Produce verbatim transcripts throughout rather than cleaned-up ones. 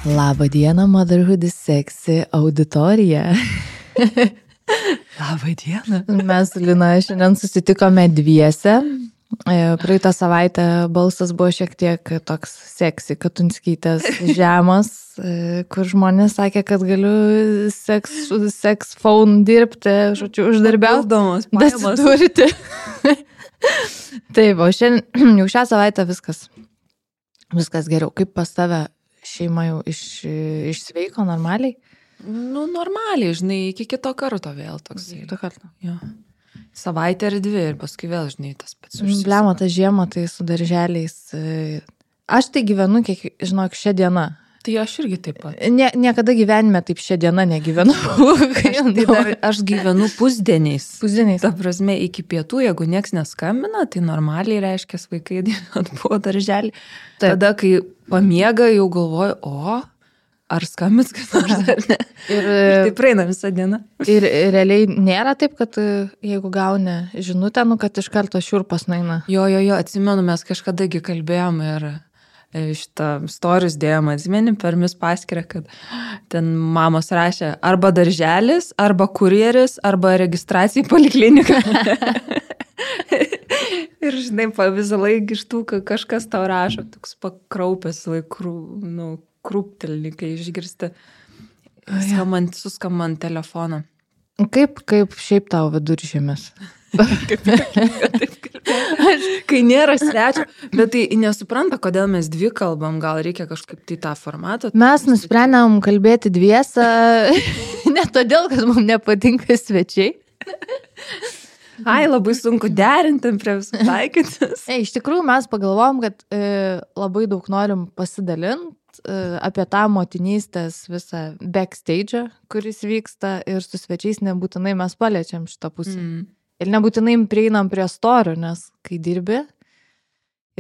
Labą dieną, Motherhood is Sexy auditorija. Labą dieną. Mes su Lina šiandien susitikome dviese. Praeitą savaitę balsas buvo šiek tiek toks seksy, Katunskytės žemas, kur žmonės sakė, kad galiu seks, seks phone dirbti, žodžiu, uždarbiaudamas, bet turite. Taip, o šiandien, jau šią savaitę viskas, viskas geriau. Kaip pas tave šeima jau iš, išsveiko normaliai? Nu, normaliai, žinai, iki kito karto vėl toks. Kito karto. Jo. Savaitę ir dvi ir paskui vėl, žinai, tas pats. Blemo, tą žiemą tai su darželiais. Aš tai gyvenu, kiek, žinok, šią dieną. Tai aš irgi taip pat. Nie, niekada gyvenime taip šią dieną negyvenu. Aš, tai dar, aš gyvenu pusdieniais. Pusdieniais. Ta prasme, iki pietų, jeigu nieks neskambina, tai normaliai reiškia, vaikai buvo darželį. Tada, kai pamiega, jau galvoju, o... Ar skambins, kas nors ar ne? Ir, ir tai praeina visą dieną. Ir realiai nėra taip, kad jeigu gauni žinutę, nu, kad iš karto šiurpas naina. Jo, jo, jo, atsimenu, mes kažkadagi kalbėjom ir šitą stories dėjom, atsimeni, per mis paskirę, kad ten mamos rašė arba darželis, arba kurjeris, arba registracija į polikliniką. Ir žinai, visą laiką iš tų, kad kažkas tau rašo, toks pakraupęs laikų, nu, krūptelį, kai išgirsti skambant, suskambant telefoną. Kaip, kaip šiaip tau viduržiemis? kaip, kaip, kaip, kai nėra svečio, bet tai nesupranta, kodėl mes dvi kalbam, gal reikia kažkaip tai tą formatą. Mes nusprendėm kalbėti dviesą, ne todėl, kad mums nepatinka svečiai. Ai, labai sunku derinti prie visų taikytis. E, iš tikrųjų, mes pagalvojom, kad e, labai daug norim pasidalinti e, apie tą motinystės visą backstage, kuris vyksta ir su svečiais nebūtinai mes paliečiam šitą pusę. Mm. Ir nebūtinai prieinam prie storių, nes kai dirbi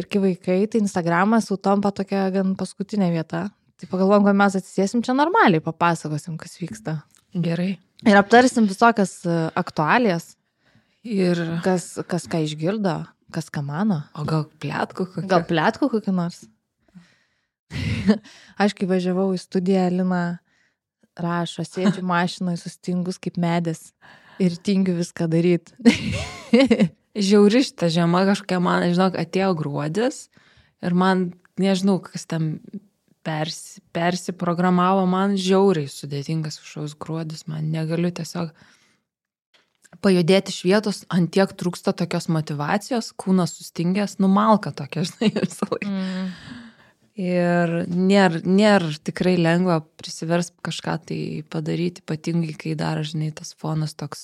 ir kai vaikai, tai Instagramas jau tampa tokia gan paskutinė vieta. Tai pagalvojom, kad mes atsisėsim čia normaliai, papasakosim, kas vyksta. Gerai. Ir aptarsim visokias aktualijas. Ir kas, kas ką išgirdo, kas ką mano. O gal plėtkų kokį? Gal plėtkų kokį nors. Aš kai važiavau į studiją, Lina rašo, sėdžiu mašinoje sustingus kaip medis ir tingiu viską daryti. Žiauri šitą žiemą kažkokia man, žinok, atėjo gruodis ir man, nežinau, kas tam persi, persiprogramavo, man žiauriai sudėtingas kažkoks gruodis, man negaliu tiesiog pajudėti iš vietos, ant tiek trūksta tokios motivacijos, kūnas sustingęs, numalka tokia, žinai, visą laiką. Mm. Ir nėra, nėra tikrai lengva prisivers kažką tai padaryti, ypatingai, kai dar, žinai, tas fonas toks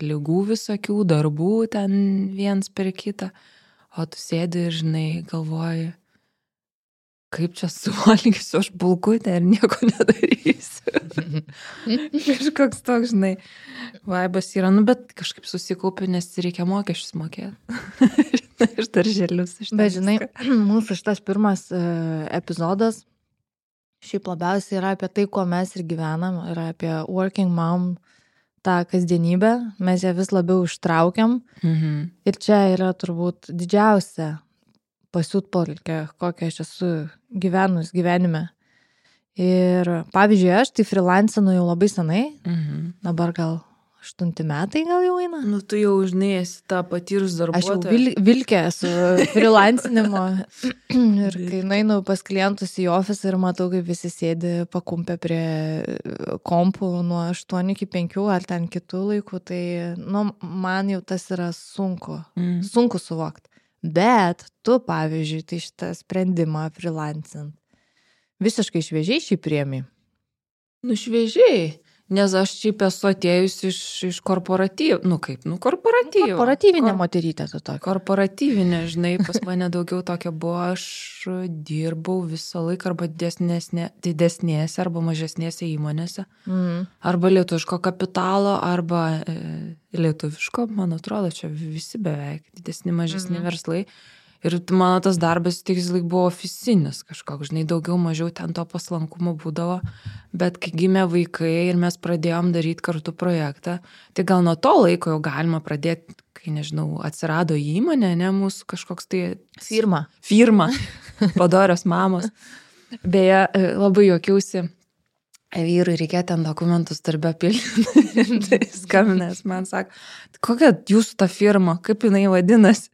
ligų visokių, darbų ten viens per kitą, o tu sėdi ir, žinai, galvoji, kaip čia suvalgysiu aš bulkutę ir nieko nedarysiu. Kažkoks toks, žinai, vaibas yra, nu, bet kažkaip susikaupiu, nes reikia mokesčius mokėti. Iš darželius. Bet, žinai, mūsų šitas pirmas uh, epizodas šiaip labiausiai yra apie tai, kuo mes ir gyvenam, yra apie working mom tą kasdienybę, mes ją vis labiau ištraukiam. Mhm. Ir čia yra turbūt didžiausia pasiutpolkė, kokią aš esu gyvenus gyvenime. Ir pavyzdžiui, aš tai freelancinu jau labai senai, mhm. dabar gal aštunti metai gal jau eina. Nu, tu jau, žinai, esi tą patyrus darbuotoją. Aš jau vil, vilkė esu freelancinimo ir kai nueinu pas klientus į ofisą ir matau, kaip visi sėdi pakumpę prie kompų nuo aštuonių iki penkių ar ten kitų laikų, tai nu, man jau tas yra sunku, mhm. sunku suvokti. Bet tu, pavyzdžiui, tai šitą sprendimą freelancint visiškai šviežiai šį priemi? Nu, šviežiai, nes aš šiaip esu atėjus iš, iš korporatyv, nu kaip, nu korporatyv. Korporatyvinė Kor... moterytė tu tokia. Korporatyvinė, žinai, pas mane daugiau tokia buvo, aš dirbau visą laiką arba didesnėse, didesnėse arba mažesnėse įmonėse, mm. arba lietuviško kapitalo, arba e, lietuviško, man atrodo, čia visi beveik didesni, mažesni mm. verslai. Ir mano tas darbas tik buvo ofisinis kažkoks, žinai, daugiau mažiau ten to paslankumo būdavo, bet kai gimė vaikai ir mes pradėjom daryti kartu projektą, tai gal nuo to laiko jau galima pradėti, kai, nežinau, atsirado įmonė, ne, mūsų kažkoks tai... Firma. Firma, padorios mamos. Beje, labai juokiausi, vyrui reikia ten dokumentus darbę pildyti. Tai skambinęs man sako, kokia jūsų ta firma, kaip jinai vadinasi?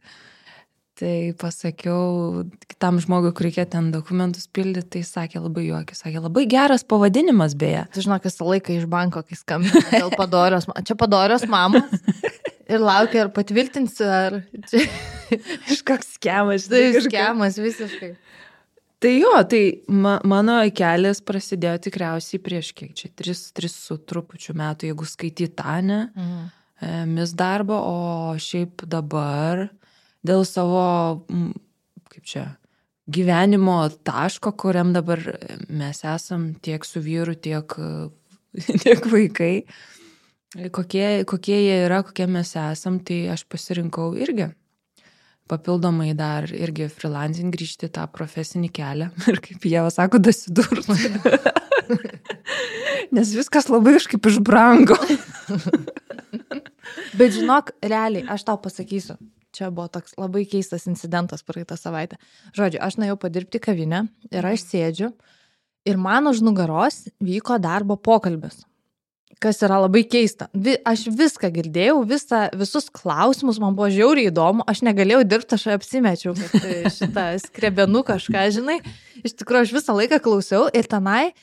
Tai pasakiau kitam žmogui, kur reikia ten dokumentus pildyti, tai sakė labai juokis, sakė labai geras pavadinimas beje. Tu žinok, visą laiką iš banko, kai skambina dėl padorios, čia padorios mamos ir laukia, ar patvirtinsiu, ar čia kažkoks skemas. Tai skemas visiškai. Tai jo, tai ma, mano kelias prasidėjo tikriausiai prieš kiek čia, tris, tris su trupučiu metų, jeigu skaityti tą, ne, mhm. mis darbą, o šiaip dabar dėl savo, kaip čia, gyvenimo taško, kuriam dabar mes esam tiek su vyru, tiek, tiek vaikai, kokie, kokie jie yra, kokie mes esam, tai aš pasirinkau irgi. Papildomai dar irgi freelancing grįžti tą profesinį kelią ir kaip jie sako, dasidurti. Nes viskas labai kažkaip išbrango. Bet žinok, realiai, aš tau pasakysiu, čia buvo toks labai keistas incidentas praeitą savaitę. Žodžiu, aš nuėjau padirbti kavinę ir aš sėdžiu ir man už nugaros vyko darbo pokalbis. Kas yra labai keista. Aš viską girdėjau, visą, visus klausimus, man buvo žiauriai įdomu, aš negalėjau dirbti, aš apsimečiau, kad šitą skrebenu kažką, žinai. Iš tikrųjų, aš visą laiką klausiau ir tenai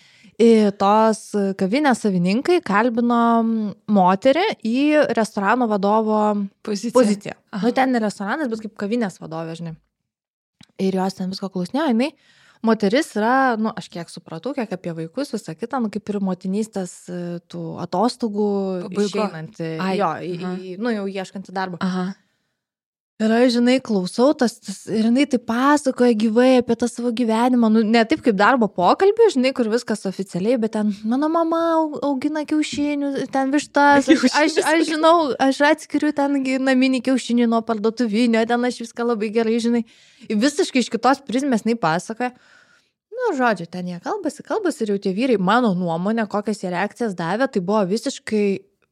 tos kavinės savininkai kalbino moterį į restorano vadovo poziciją. poziciją. Nu, ten ne restoranas, bet kaip kavinės vadovė, žinai. Ir jos ten visko klausinėjo, jinai. Moteris yra, nu, aš kiek supratau, kiek apie vaikus, visą kitą, nu, kaip ir motinystės tų atostogų išeinanti, jo, į, į, nu, jau ieškanti darbą. Aha. Ir aš, žinai, klausau, tas, tas, ir jinai tai pasakoja gyvai apie tą savo gyvenimą, nu, ne taip kaip darbo pokalbį, žinai, kur viskas oficialiai, bet ten mano mama augina kiaušinių, ten vištas, aš, aš, aš žinau, aš atskiriu ten naminį kiaušinį nuo parduotuvinio, ten aš viską labai gerai, žinai, visiškai iš kitos prizmės jinai pasakoja. Nu, žodžiu, ten jie kalbasi, kalbasi ir jau tie vyrai, mano nuomonė, kokias jie reakcijas davė, tai buvo visiškai,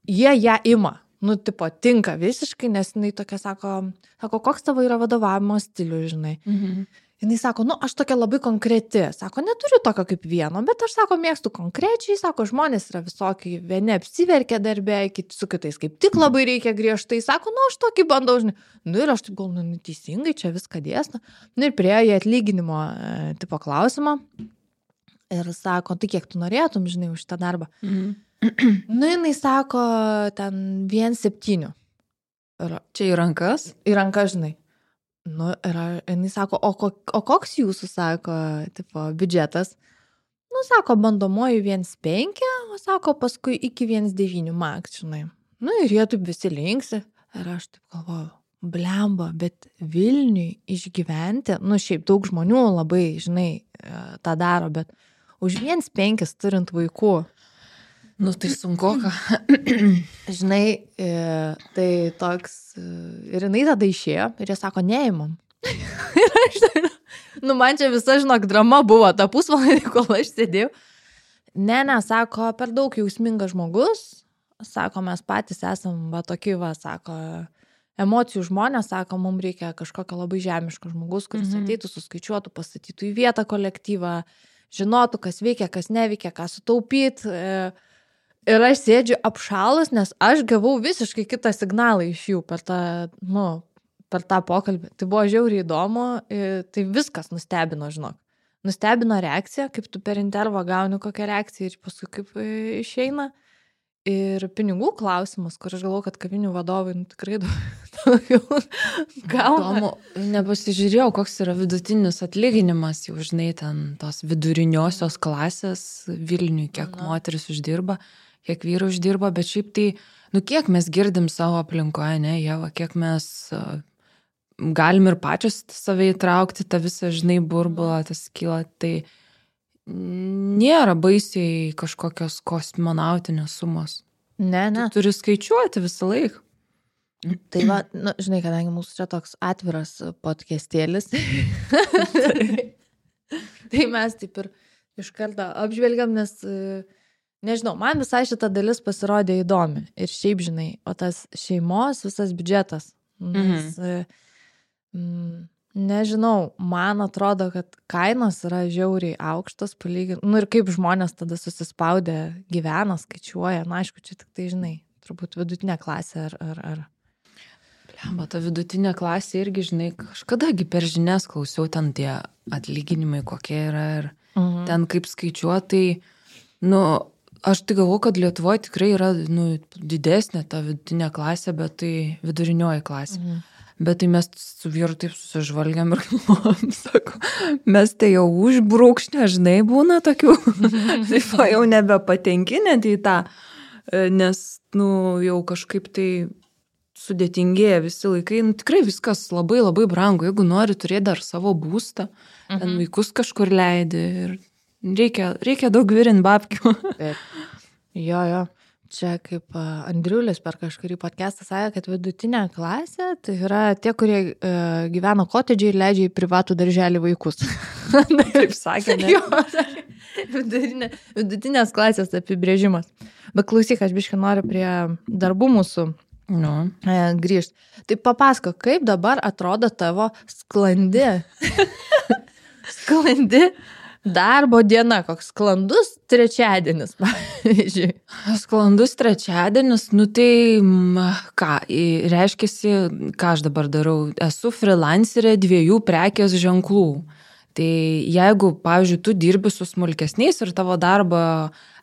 jie ją ima. Nu, tipo, tinka visiškai, nes jinai tokia sako, sako, koks tavo yra vadovavimo stilius, žinai. Mhm. Jinai sako, nu, aš tokia labai konkreti. Sako, neturiu tokio kaip vieno, bet aš, sako, mėgstu konkrečiai. Sako, žmonės yra visokiai, vieni apsiverkia darbė, kiti su kitais kaip tik labai reikia griežtai. Sako, nu, aš tokį bandau, žinai. Nu, ir aš taip gal, nu, teisingai čia viską dėsna. Nu, ir priejo į atlyginimo e, tipo klausimą. Ir sako, tai kiek tu norėtum, žinai, už šitą darbą. Mhm. Nu, jinai sako, ten vien septynių. Ir, čia į rankas? Į rankas, žinai. Nu, ir jinai sako, o, kok, o koks jūsų, sako, tipo, biudžetas? Nu, sako, bandomoji viens penki, o sako, paskui iki viens devyni maks, žinai. Nu, ir jie taip visi linksi. Ir aš taip galvoju, blemba, bet Vilniui išgyventi, nu, šiaip daug žmonių labai, žinai, tą daro, bet už viens penkis turint vaikų. Nu, tai sunku, ką. Žinai, tai toks, ir jinai tada išėjo, ir jie sako, neimam. Ir aš, nu, man čia visa, žinok, drama buvo, ta pusvalandį, kol aš sėdėjau. Ne, ne, sako, per daug jausmingas žmogus, sako, mes patys esam, va, tokie, va, sako, emocijų žmonės, sako, mums reikia kažkokio labai žemiško žmogus, kuris mm-hmm. ateitų, suskaičiuotų, pastatytų į vietą kolektyvą, žinotų, kas veikia, kas neveikia, ką sutaupyt. Ir aš sėdžiu apšalus, nes aš gavau visiškai kitą signalą iš jų per tą, nu, per tą pokalbį. Tai buvo žiauriai įdomu, tai viskas nustebino, žinok. Nustebino reakcija, kaip tu per intervą gauni kokią reakciją ir paskui kaip išeina. Ir pinigų klausimas, kur aš galvoju, kad kavinių vadovai nu, tikrai daugiau gauna. Nepasižiūrėjau, koks yra vidutinis atlyginimas, jau žinai, ten tos viduriniosios klasės Vilniui, kiek Na. moteris uždirba, kiek vyrų uždirba, bet šiaip tai, nu kiek mes girdim savo aplinkoje, ne, Ieva, kiek mes uh, galim ir pačios save įtraukti, tą visą, žinai, burbulą, tas kyla, tai nėra baisiai kažkokios kosmonautinės sumos. Ne, ne. Tu turi skaičiuoti visą laiką. Tai va, nu, žinai, kadangi mūsų čia toks atviras podcastėlis, tai mes taip ir iš karto apžvelgiam, nes, nežinau, man visai šita dalis pasirodė įdomi. Ir šiaip, žinai, o tas šeimos visas biudžetas. Nes, mhm. mm, Nežinau, man atrodo, kad kainos yra žiauriai aukštos, palyginti. Nu ir kaip žmonės tada susispaudę gyvena, skaičiuoja. Na, aišku, čia tik tai, žinai, turbūt vidutinė klasė ar... ar, ar... Lemba, ta vidutinė klasė irgi, žinai, kažkadagi per žinias klausiau ten tie atlyginimai, kokie yra ir mhm. ten kaip skaičiuotai, nu, aš tai galvoju, kad Lietuvoje tikrai yra, nu, didesnė ta vidutinė klasė, bet tai vidurinioji klasė. Mhm. Bet tai mes su vyru taip susižvalgiam ir galvojam, sako, mes tai jau užbrūkšnė, žinai, būna tokių, taip jau nebepatenki net į tą, nes, nu, jau kažkaip tai sudėtingėja visi laikai, nu, tikrai viskas labai labai brangu, jeigu nori turėti dar savo būstą, mhm. ten vaikus kažkur leidi ir reikia, reikia daug virint babkių. Taip. Jo, jo. Čia kaip Andriulis per kažkurį podcastą sakė, kad vidutinė klasė tai yra tie, kurie e, gyvena kotedžiai ir leidžia į privatų darželį vaikus. Taip sakė, ne? Jo, vidutinė, vidutinės klasės apibrėžimas. Bet klausyk, aš biškai noriu prie darbų mūsų no. e, grįžti. Tai papasako, kaip dabar atrodo tavo sklandi, sklandi darbo diena, koks sklandus trečiadienis, pavyzdžiui. Sklandus trečiadienis, nu tai ką, reiškiasi, ką aš dabar darau, esu freelancerė dviejų prekės ženklų. Tai jeigu, pavyzdžiui, tu dirbi su smulkesniais ir tavo darbo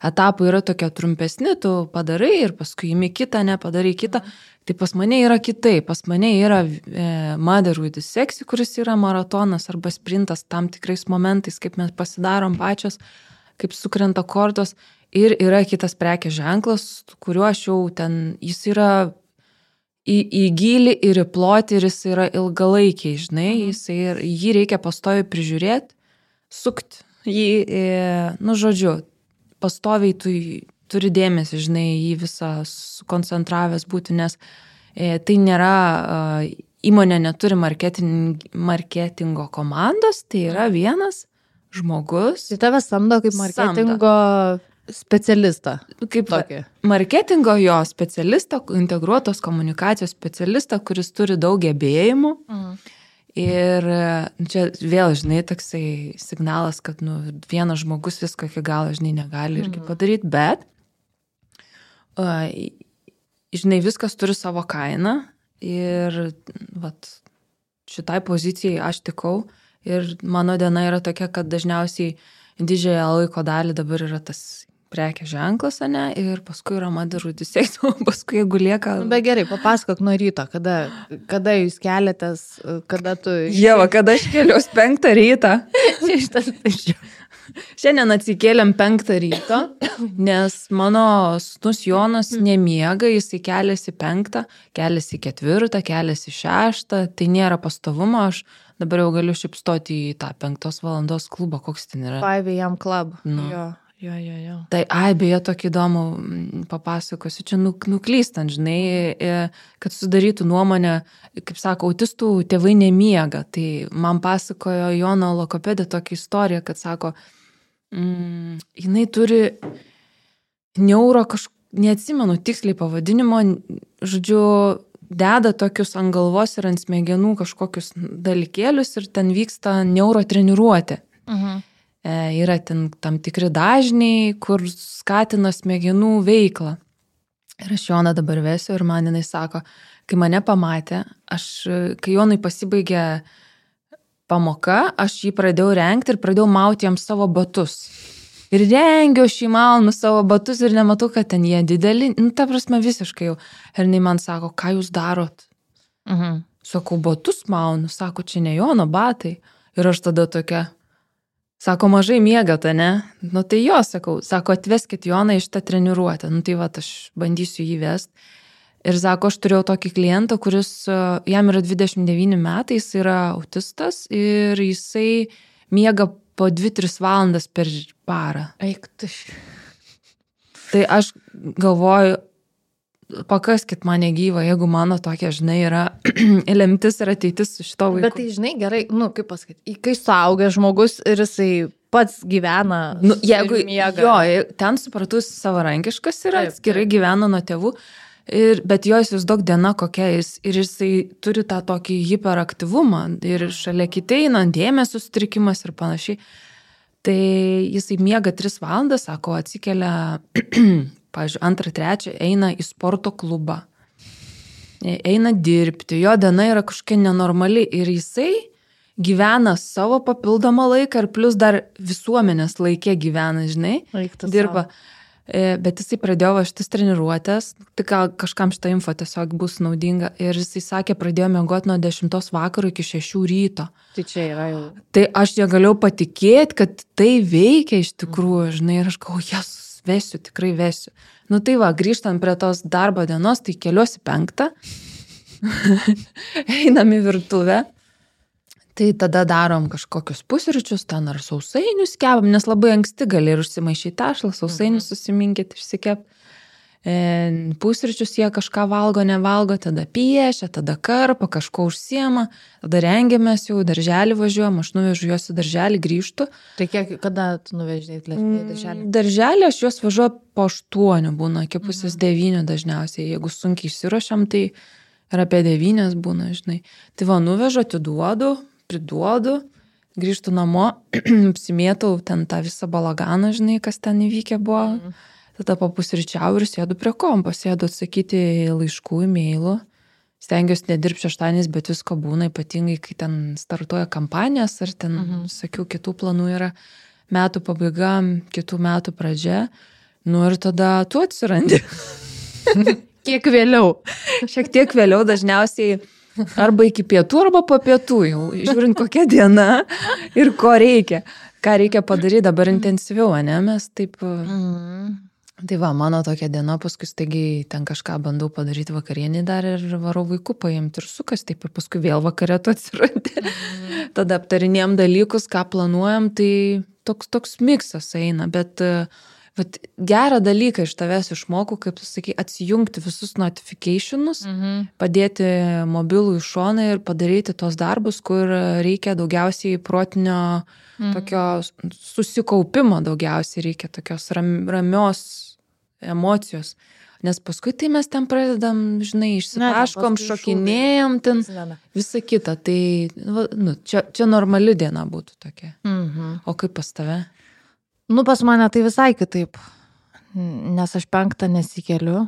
etapai yra tokie trumpesni, tu padarai ir paskui imi kitą, ne, padarai kitą, tai pas mane yra kitai, pas mane yra e, Mother with Sexy, kuris yra maratonas arba sprintas tam tikrais momentais, kaip mes pasidarom pačios, kaip sukrenta kortos, ir yra kitas prekės ženklas, kuriuo aš jau ten, jis yra į, į gilį ir į plotį ir jis yra ilgalaikiai, žinai, jis ir, jį reikia pastoviai prižiūrėti, sukti jį, e, nu žodžiu, pastoviai tu turi dėmesį, žinai, jį visą sukoncentravęs būti, nes e, tai nėra, e, įmonė neturi marketing, marketingo komandos, tai yra vienas žmogus. Tai tave samdo kaip marketingo samdo. Specialistą. Kaip tokį. Marketingo jo specialistą, integruotos komunikacijos specialistą, kuris turi daug gebėjimų. Mhm. Ir čia vėl, žinai, toksai signalas, kad nu, vienas žmogus viską iki galo, žinai, negali irgi padaryti, bet, uh, žinai, viskas turi savo kainą ir vat, šitai pozicijai aš tikau ir mano diena yra tokia, kad dažniausiai didžiąją laiko dalį dabar yra tas prekės ženklas, ane, ir paskui yra Mother with Sexy, paskui jeigu lieka... Bet gerai, papasakok nuo ryto, kada, kada jūs keliatės, kada tu... Jeva, kada aš keliaus penktą rytą. Šiandien atsikėlėm penktą ryto, nes mano sūnus Jonas nemiega, jisai keliasi penktą, keliasi ketvirtą, keliasi šeštą, tai nėra pastovumo, aš dabar jau galiu šipstoti į tą penktos valandos klubą, koks ten yra. five a m club, nu. jo. Jo, jo, jo. Tai, ai, beje, tokį įdomų papasakosiu, čia nuklystant, žinai, kad sudarytų nuomonę, kaip sako, autistų tėvai nemiega. Tai man pasakojo Jono logopedė tokią istoriją, kad sako, mm, jinai turi neuro kažkokį, neatsimenu tiksliai pavadinimo, žodžiu, deda tokius ant galvos ir ant smegenų kažkokius dalykėlius ir ten vyksta neuro treniruotė. Mhm. Yra ten tam tikri dažniai, kur skatina smegenų veiklą. Ir aš Joną dabar vesiu ir man jinai sako, kai mane pamatė, aš, kai Jonui pasibaigė pamoka, aš jį pradėjau rengti ir pradėjau mauti jam savo batus. Ir rengiau šį maunu savo batus ir nematau, kad ten jie dideli, nu, ta prasme visiškai jau. Ir jinai man sako, ką jūs darot? Mhm. Sakau, batus maunu, sako, čia ne Jono batai. Ir aš tada tokia... Sako, mažai miegat, ne? Nu tai jo, sakau, sako, atveskit Joną iš tą treniruotę. Nu tai va, aš bandysiu jį vest. Ir sako, aš turėjau tokį klientą, kuris, jam yra dvidešimt devyni metai, jis yra autistas ir jisai miega po dvi tris valandas per parą. Eik tu. Tai aš galvoju, pakaskit mane gyvą, jeigu mano tokia, žinai, yra lemtis ir ateitis su šito vaiku. Bet tai, žinai, gerai, nu, kaip pasakyti, kai suaugęs žmogus ir jisai pats gyvena, nu, jeigu miega. Jo, ten supratus savarankiškas yra, atskirai gyvena nuo tėvų. Ir, bet jo įsivaizduok diena kokia jis. Ir jisai turi tą tokį hiperaktyvumą. Ir šalia kitai eina dėmesio sutrikimas ir panašiai. Tai jisai miega tris valandas, sako, atsikelia, pavyzdžiui, antrą, trečią, eina į sporto klubą. Eina dirbti. Jo diena yra kažkokia nenormali. Ir jisai gyvena savo papildomą laiką ir plus dar visuomenės laikė gyvena, žinai. Laiktas dirba. Savo. Bet jisai pradėjo va šitas treniruotės, tai gal kažkam šitą info tiesiog bus naudinga. Ir jisai sakė, pradėjo miegoti nuo dešimtos vakaro iki šešių ryto. Tai čia yra jau. Tai aš negalėjau patikėti, kad tai veikia iš tikrųjų, žinai, ir aš galvoju, jesus, vesiu, tikrai vesiu. Nu tai va, grįžtant prie tos darbo dienos, tai keliuosi penktą, einam į virtuvę. Tai tada darom kažkokius pusryčius, ten ar sausainius kepam, nes labai anksti gali ir užsimaišyti tešlą, sausainius susiminkyti, išsikep. E, pusryčius jie kažką valgo, nevalgo, tada piešia, tada karpa, kažko užsiema, tada rengiamės jau, darželį važiuojam, aš nuvežu juos į darželį, grįžtu. Tai kiek, kada tu nuveždėjai į darželį? Darželį aš juos važiuoju po aštuonių, būna iki pusės devynių dažniausiai, jeigu sunkiai išsiruošiam, tai ir apie devynias būna, žinai. Tai va, nuvežu, atiduodu, priduodu, grįžtu namo, apsimėtau ten tą visą balaganą, žinai, kas ten įvykę buvo. Mm. Tada papusryčiau ir sėdu prie kompo, sėdu atsakyti laiškų, e-mailų. Stengiuosi nedirbti šeštadieniais, bet visko būna, ypatingai, kai ten startuoja kampanijas, ar ten, mm-hmm. sakiau, kitų planų yra metų pabaiga, kitų metų pradžia. Nu ir tada tu atsirandi. Kiek vėliau. Šiek tiek vėliau dažniausiai arba iki pietų, arba po pietų jau, žiūrint kokia diena ir ko reikia. Ką reikia padaryti dabar intensyviau, ne? Mes taip... Mm. Tai va, mano tokia diena, paskui staigiai ten kažką bandau padaryti vakarienį dar ir varau vaikų paimti ir sukas, taip ir paskui vėl vakarė tu atsirandi. Mm. Tada aptarinėjom dalykus, ką planuojam, tai toks, toks miksas eina, bet... Bet gerą dalyką iš tavęs išmokau, kaip tu sakai, atsijungti visus notificationus, mhm. padėti mobilų į šoną ir padaryti tos darbus, kur reikia daugiausiai protinio mhm. tokio susikaupimo, daugiausiai reikia tokios ram, ramios emocijos. Nes paskui tai mes ten pradedam, žinai, išsitaškom, šokinėjom, ten visą kitą. Tai nu, čia, čia normali diena būtų tokia. Mhm. O kaip pas tave? Nu, pas mane tai visai kitaip, nes aš penktą nesikeliu.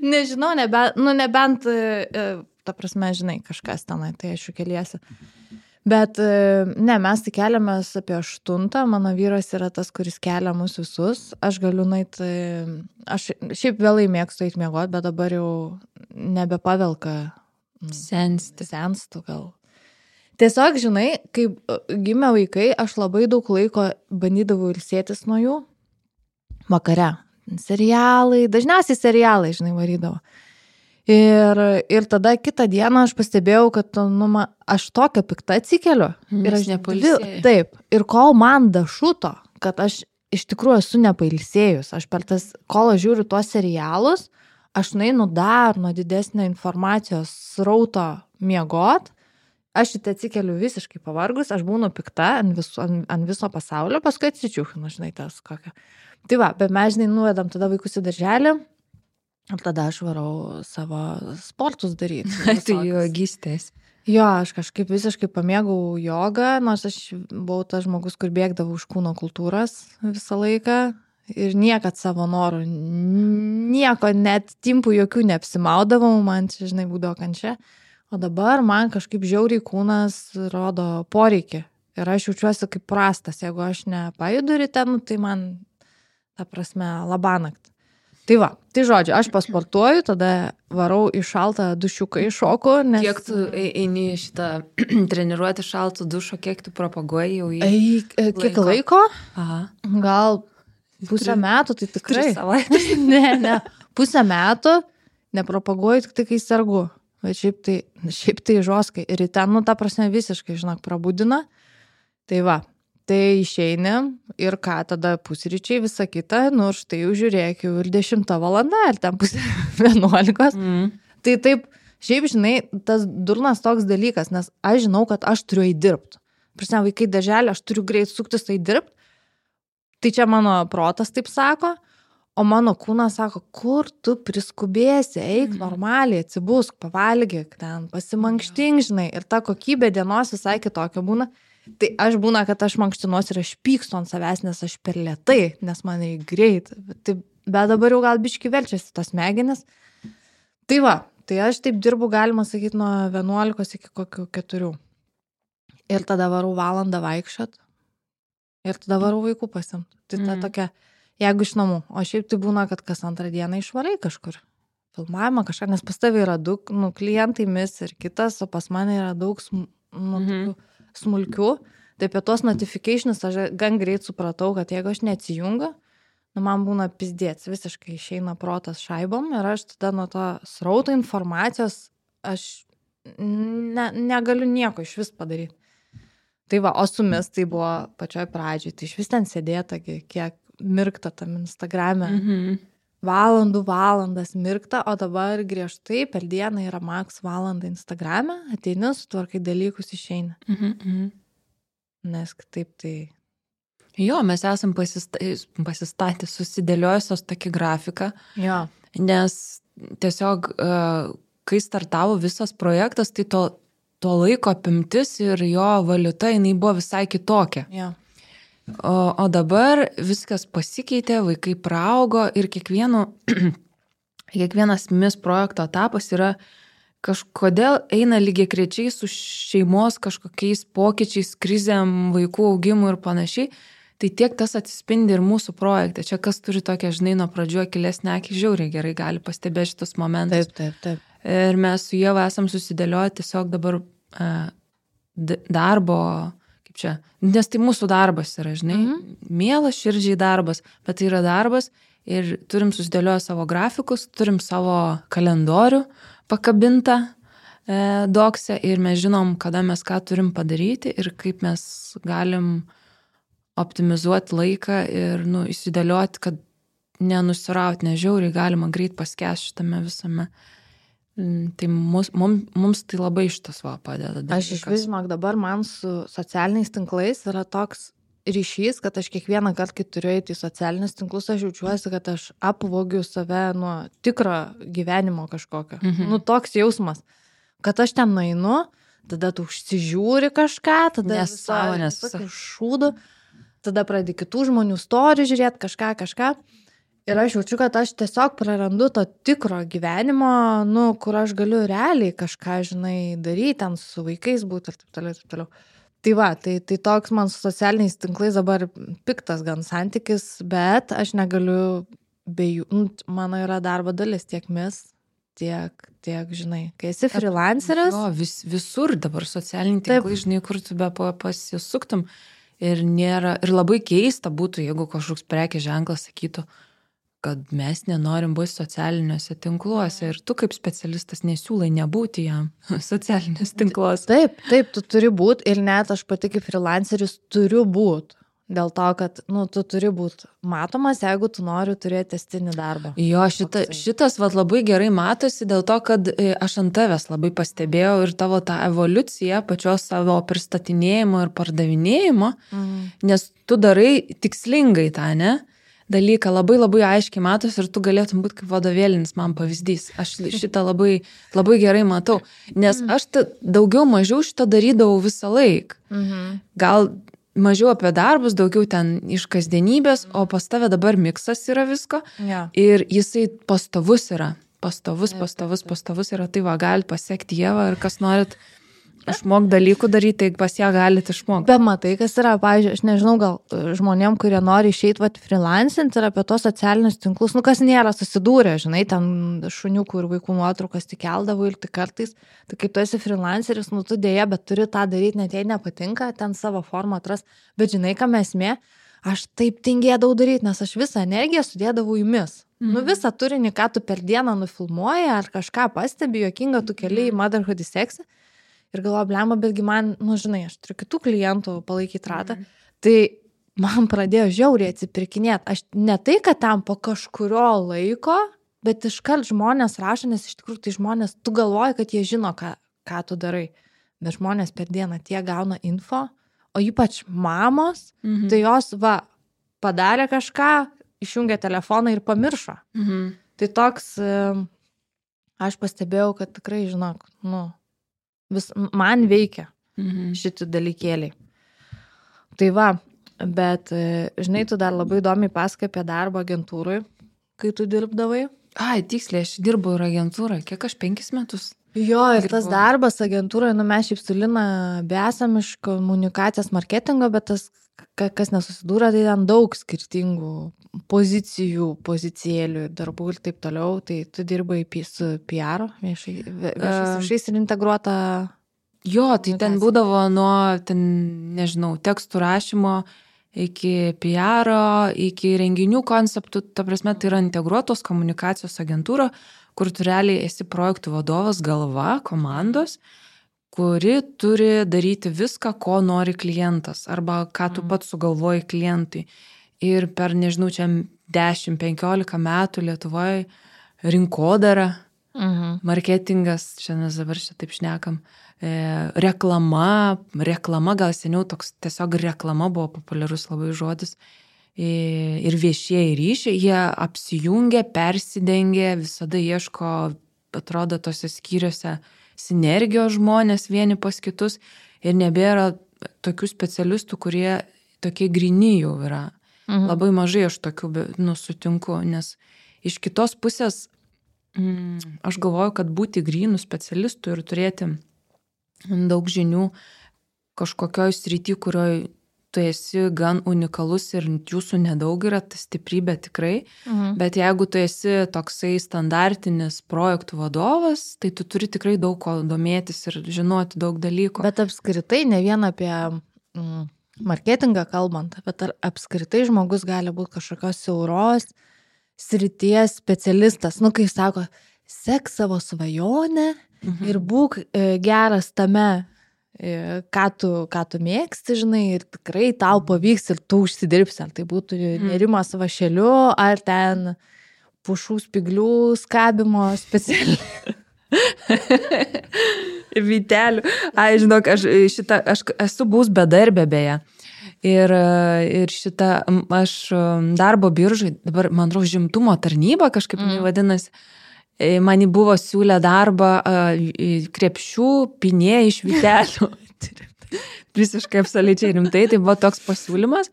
Nežinau, nebent, nu, nebent, ta prasme, žinai, kažkas tenai, tai aš jau keliesi. Bet ne, mes tai keliamės apie aštuntą, mano vyras yra tas, kuris kelia mus visus. Aš galiu nueit, aš šiaip vėlai mėgstu eit miegoti, bet dabar jau nebepavelka. Sensti. Senstu gal. Tiesiog, žinai, kai gimė vaikai, aš labai daug laiko bandydavau ilsėtis nuo jų vakare. Serialai, dažniausiai serialai, žinai, varydavo. Ir, ir tada kitą dieną aš pastebėjau, kad nu, ma, aš tokią piktą atsikeliu. Ir aš nepailsėjau. Taip. Ir kol man dašuto, kad aš iš tikrųjų esu nepailsėjus, aš per tas, kol aš žiūriu tuos serialus, aš nueinu dar nuo didesnio informacijos srauto miegot. Aš šitą atsikeliu visiškai pavargus, aš būnu pikta ant viso, ant, ant viso pasaulio, paskui atsičiūchinu, žinai, tas kokią. Tai va, bet mes, žinai, nuvedam tada vaikus į darželį ir tada aš varau savo sportus daryti. Tai jogistės. Jo, aš kažkaip visiškai pamėgau jogą, nors aš buvau tas žmogus, kur bėgdavau už kūno kultūras visą laiką ir niekad savo norų, nieko, net timpų jokių neapsimaudavau, man čia, žinai, būdavo kančia. O dabar man kažkaip žiauriai kūnas rodo poreikį. Ir aš jaučiuosi kaip prastas. Jeigu aš nepajudu ryte, nu, tai man, ta prasme, labanakt. Tai va, tai žodžiu, aš pasportuoju, tada varau į šaltą dušiuką iššoku. Nes... Kiek tu eini šitą treniruoti šaltų dušo, kiek tu propaguoji jau į... Ei, kiek laiko? Aha. Gal pusę Tri... metų, tai tikrai. Tris savaitės. ne, ne. Pusę metų nepropaguoju tik tai, kai sergu. Bet šiaip tai, šiaip tai žoskai. Ir ten, nu, ta prasme, visiškai, žinok, prabudina. Tai va, tai išeini ir ką, tada pusryčiai, visa kita, nu, štai jau žiūrėk, jau ir dešimta valanda, ir ten pusė vienuolikos. Mm. Tai taip, šiaip, žinai, tas durnas toks dalykas, nes aš žinau, kad aš turiu įdirbti. Prasme, vaikai darželį, aš turiu greit suktis tai dirbti. Tai čia mano protas taip sako. O mano kūnas sako, kur tu priskubėsi, eik normaliai, atsibusk, pavalgyk, ten pasimankštink, žinai. Ir ta kokybė dienos visai kitokia būna. Tai aš būna, kad aš mankštinuosi ir aš pykstu ant savęs, nes aš per lėtai, nes man reikia greit. Tai, bet dabar jau gal biški verčiasi tos smegenis. Tai va, tai aš taip dirbu, galima sakyti, nuo vienuolikos iki kokių keturių. Ir tada varau valandą vaikščiot. Ir tada varau vaikų pasimt. Tai ta mm. tokia, jeigu iš namų. O šiaip tai būna, kad kas antrą dieną išvarai kažkur. Filmavimą kažką, nes pas tavai yra daug, nu, klientai mis ir kitas, o pas mane yra daug sm, nu, mm-hmm. smulkių. Tai apie tos notifications aš gan greit supratau, kad jeigu aš neatsijungiu, nu, man būna pizdėts, visiškai išeina protas šaibom ir aš tada nuo to srauto informacijos aš ne, negaliu nieko iš vis padaryti. Tai va, o su mis tai buvo pačioj pradžioj, tai iš vis ten sėdėta, kiek mirkta tam Instagrame. Mm-hmm. Valandų valandas mirkta, o dabar griežtai per dieną yra maks valandą Instagrame, ateini, sutvarkai dalykus, išeini. Mm-hmm. Nes kitaip tai... Jo, mes esam pasistatę susidėliojusios tokį grafiką, jo. Nes tiesiog, kai startavo visas projektas, tai to to laiko apimtis ir jo valiuta, jinai buvo visai kitokia. Yeah. O, o dabar viskas pasikeitė, vaikai praaugo ir kiekvieno, kiekvienas mis projekto etapas yra kažkodėl eina lygiagrečiai su šeimos kažkokiais pokyčiais, krizėm, vaikų augimu ir panašiai. Tai tiek tas atsispindi ir mūsų projekte. Čia kas turi tokią, žinai, nuo pradžių akilesnę akį, žiauriai gerai gali pastebėti šitus momentus. Taip, taip, taip. Ir mes su Ieva esam susidėlioję tiesiog dabar uh, darbo, kaip čia, nes tai mūsų darbas yra, žinai, mm-hmm. mielas širdžiai darbas, bet tai yra darbas ir turim susidėlioję savo grafikus, turim savo kalendorių pakabintą e, dokse ir mes žinom, kada mes ką turim padaryti ir kaip mes galim optimizuoti laiką ir nu, įsidėlioti, kad nenusirauti, nežiauriai galima greit paskęsti šitame visame. Tai mums, mums, mums tai labai šitas va padeda. Dalykas. Aš iš vis, žinok, dabar man su socialiniais tinklais yra toks ryšys, kad aš kiekvieną kartą, kai turiu eiti į socialinius tinklus, aš jaučiuosi, kad aš apvogiu save nuo tikro gyvenimo kažkokio. Mhm. Nu, toks jausmas, kad aš ten nueinu, tada tu užsižiūri kažką, tada nesąmonės šūdu, tada pradedi kitų žmonių story žiūrėti kažką, kažką. Ir aš jaučiu, kad aš tiesiog prarandu to tikro gyvenimo, nu, kur aš galiu realiai kažką, žinai, daryti, ten su vaikais būti ir taip toliau, taip toliau. Tai va, tai, tai toks man su socialiniais tinklais dabar piktas gan santykis, bet aš negaliu be jų, nu, mano yra darbo dalis tiek mis, tiek, tiek, žinai, kai esi freelanceris. Jo, vis, visur dabar socialiniai tinklai, taip. Žinai, kur tu be pasisuktum ir nėra, ir labai keista būtų, jeigu kažkoks prekės ženklas sakytų, kad mes nenorim būti socialiniuose tinkluose ir tu kaip specialistas nesiūlai nebūti jam socialiniuose tinkluose. Taip, taip, tu turi būti ir net aš pati kaip freelanceris turiu būti. Dėl to, kad, nu, tu turi būti matomas, jeigu tu nori turėti testinį darbą. Jo, šita, šitas vat, labai gerai matosi dėl to, kad aš ant tavęs labai pastebėjau ir tavo tą evoliuciją pačios savo pristatinėjimo ir pardavinėjimo, mhm. nes tu darai tikslingai tą, ne? Dalyką labai labai aiškiai matos ir tu galėtum būti kaip vadovėlinis man pavyzdys. Aš šitą labai, labai gerai matau, nes aš ta, daugiau mažiau šitą darydavau visą laiką. Mhm. Gal mažiau apie darbus, daugiau ten iš kasdienybės, o pas tave dabar miksas yra visko ja. Ir jisai pastovus yra. Pastovus, pastovus, pastovus yra. Tai va, galit pasiekti Ievą ir kas norit išmok dalykų daryti, tai pas ją galite išmokti. Bet matai, kas yra, pavyzdžiui, aš nežinau, gal žmonėm, kurie nori išeiti vat freelancint ir apie tos socialinius tinklus, nu kas nėra susidūrę, žinai, ten šuniukų ir vaikų nuotraukas tik keldavo ir tik kartais, tai kaip tu esi freelanceris, nu tu dėja, bet turi tą daryti, net jei nepatinka, ten savo formą atras, bet žinai, ką esmė, aš taip tingėdavau daryti, nes aš visą energiją sudėdavau į mis. Mm. Nu visą turinį, ką tu per dieną nufilmuoji ar kažką pastebi, juokinga tu keli į Motherhood seksą. Ir galvoju, blemba, betgi man, nu žinai, aš turiu kitų klientų palaikyti ratą, mm. tai man pradėjo žiauriai atsipirkinėti. Aš ne tai, kad tam po kažkurio laiko, bet iškart žmonės rašo, nes iš tikrųjų tai žmonės, tu galvoji, kad jie žino, ką, ką tu darai, bet žmonės per dieną tie gauna info, o ypač mamos, mm-hmm. tai jos, va, padarė kažką, išjungė telefoną ir pamiršo. Mhm. Tai toks, aš pastebėjau, kad tikrai, žinok, nu, vis, man veikia Mhm. šitie dalykėliai. Tai va, bet, žinai, tu dar labai įdomiai pasakai apie darbą agentūrui, kai tu dirbdavai. Ai, tiksliai, aš dirbu ir agentūrą, kiek aš penkis metus. Jo, ir tas darbas agentūroje, nu mes šiaip su Lina besam iš komunikacijos marketingo, bet tas, kas nesusidūrė, tai ten daug skirtingų pozicijų, pozicijėlių, darbų ir taip toliau. Tai tu dirbai su P R, viešai, viešais ryšiais ir integruota. Jo, tai ten būdavo nuo, ten, nežinau, tekstų rašymo iki P R, iki renginių konceptų, ta prasme, tai yra integruotos komunikacijos agentūra, kur tu realiai esi projektų vadovas, galva, komandos, kuri turi daryti viską, ko nori klientas, arba ką tu pats sugalvoji klientui. Ir per, nežinau, čia dešimt penkiolika metų Lietuvoje rinkodara, Mhm. marketingas, čia mes dabar čia taip šnekam, e, reklama, reklama, gal seniau toks tiesiog reklama buvo populiarus labai žodis, ir viešieji ryšiai, jie apsijungia, persidengia, visada ieško, atrodo, tose skyriuose sinergijos žmonės vieni pas kitus ir nebėra tokių specialistų, kurie tokie gryni jau yra. Mhm. Labai mažai aš tokių, nu, sutinku, nes iš kitos pusės mm, aš galvoju, kad būti grynų specialistų ir turėti daug žinių kažkokioj srity, kurioj tu esi gan unikalus ir jūsų nedaug yra, ta stiprybė tikrai, Mhm. bet jeigu tu esi toksai standartinis projektų vadovas, tai tu turi tikrai daug ko domėtis ir žinoti daug dalykų. Bet apskritai, ne vien apie mm, marketingą kalbant, bet ar apskritai žmogus gali būti kažkokios siauros srities specialistas. Nu, kai sako, sek savo svajonę Mhm. ir būk e, geras tame, e, ką tu, ką tu mėgsti, žinai, ir tikrai tau pavyks ir tu užsidirbsi, ar tai būtų nerimas vašeliu, ar ten pušų spiglių skabimo specialiai. Vytelių. Ai, žinok, aš, šitą, aš esu bus bedarbė beje. Ir, ir šitą, aš darbo biržai, dabar, man atrodo, žimtumo tarnyba kažkaip mm. vadinasi, man buvo siūlę darbą krepšių pinė iš vytelių. Visiškai absoliučiai rimtai, tai buvo toks pasiūlymas.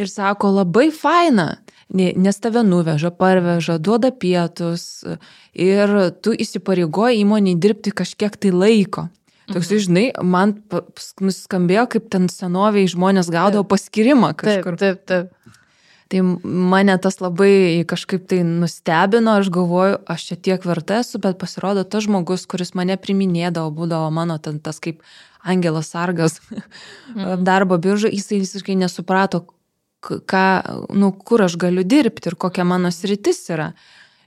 Ir sako, labai faina, nes tave nuveža, parveža, duoda pietus ir tu įsipareigoji įmonei dirbti kažkiek tai laiko. Toks, mhm. žinai, man nuskambėjo, kaip ten senoviai žmonės gaudavo paskirimą kažkur. Taip, taip, taip. Tai mane tas labai kažkaip tai nustebino, aš galvoju, aš čia tiek verta esu, bet pasirodo tas žmogus, kuris mane priminėdavo, būdavo mano ten tas kaip angelas sargas mm. darbo biržai, jisai visiškai nesuprato, ką, nu, kur aš galiu dirbti ir kokia mano sritis yra.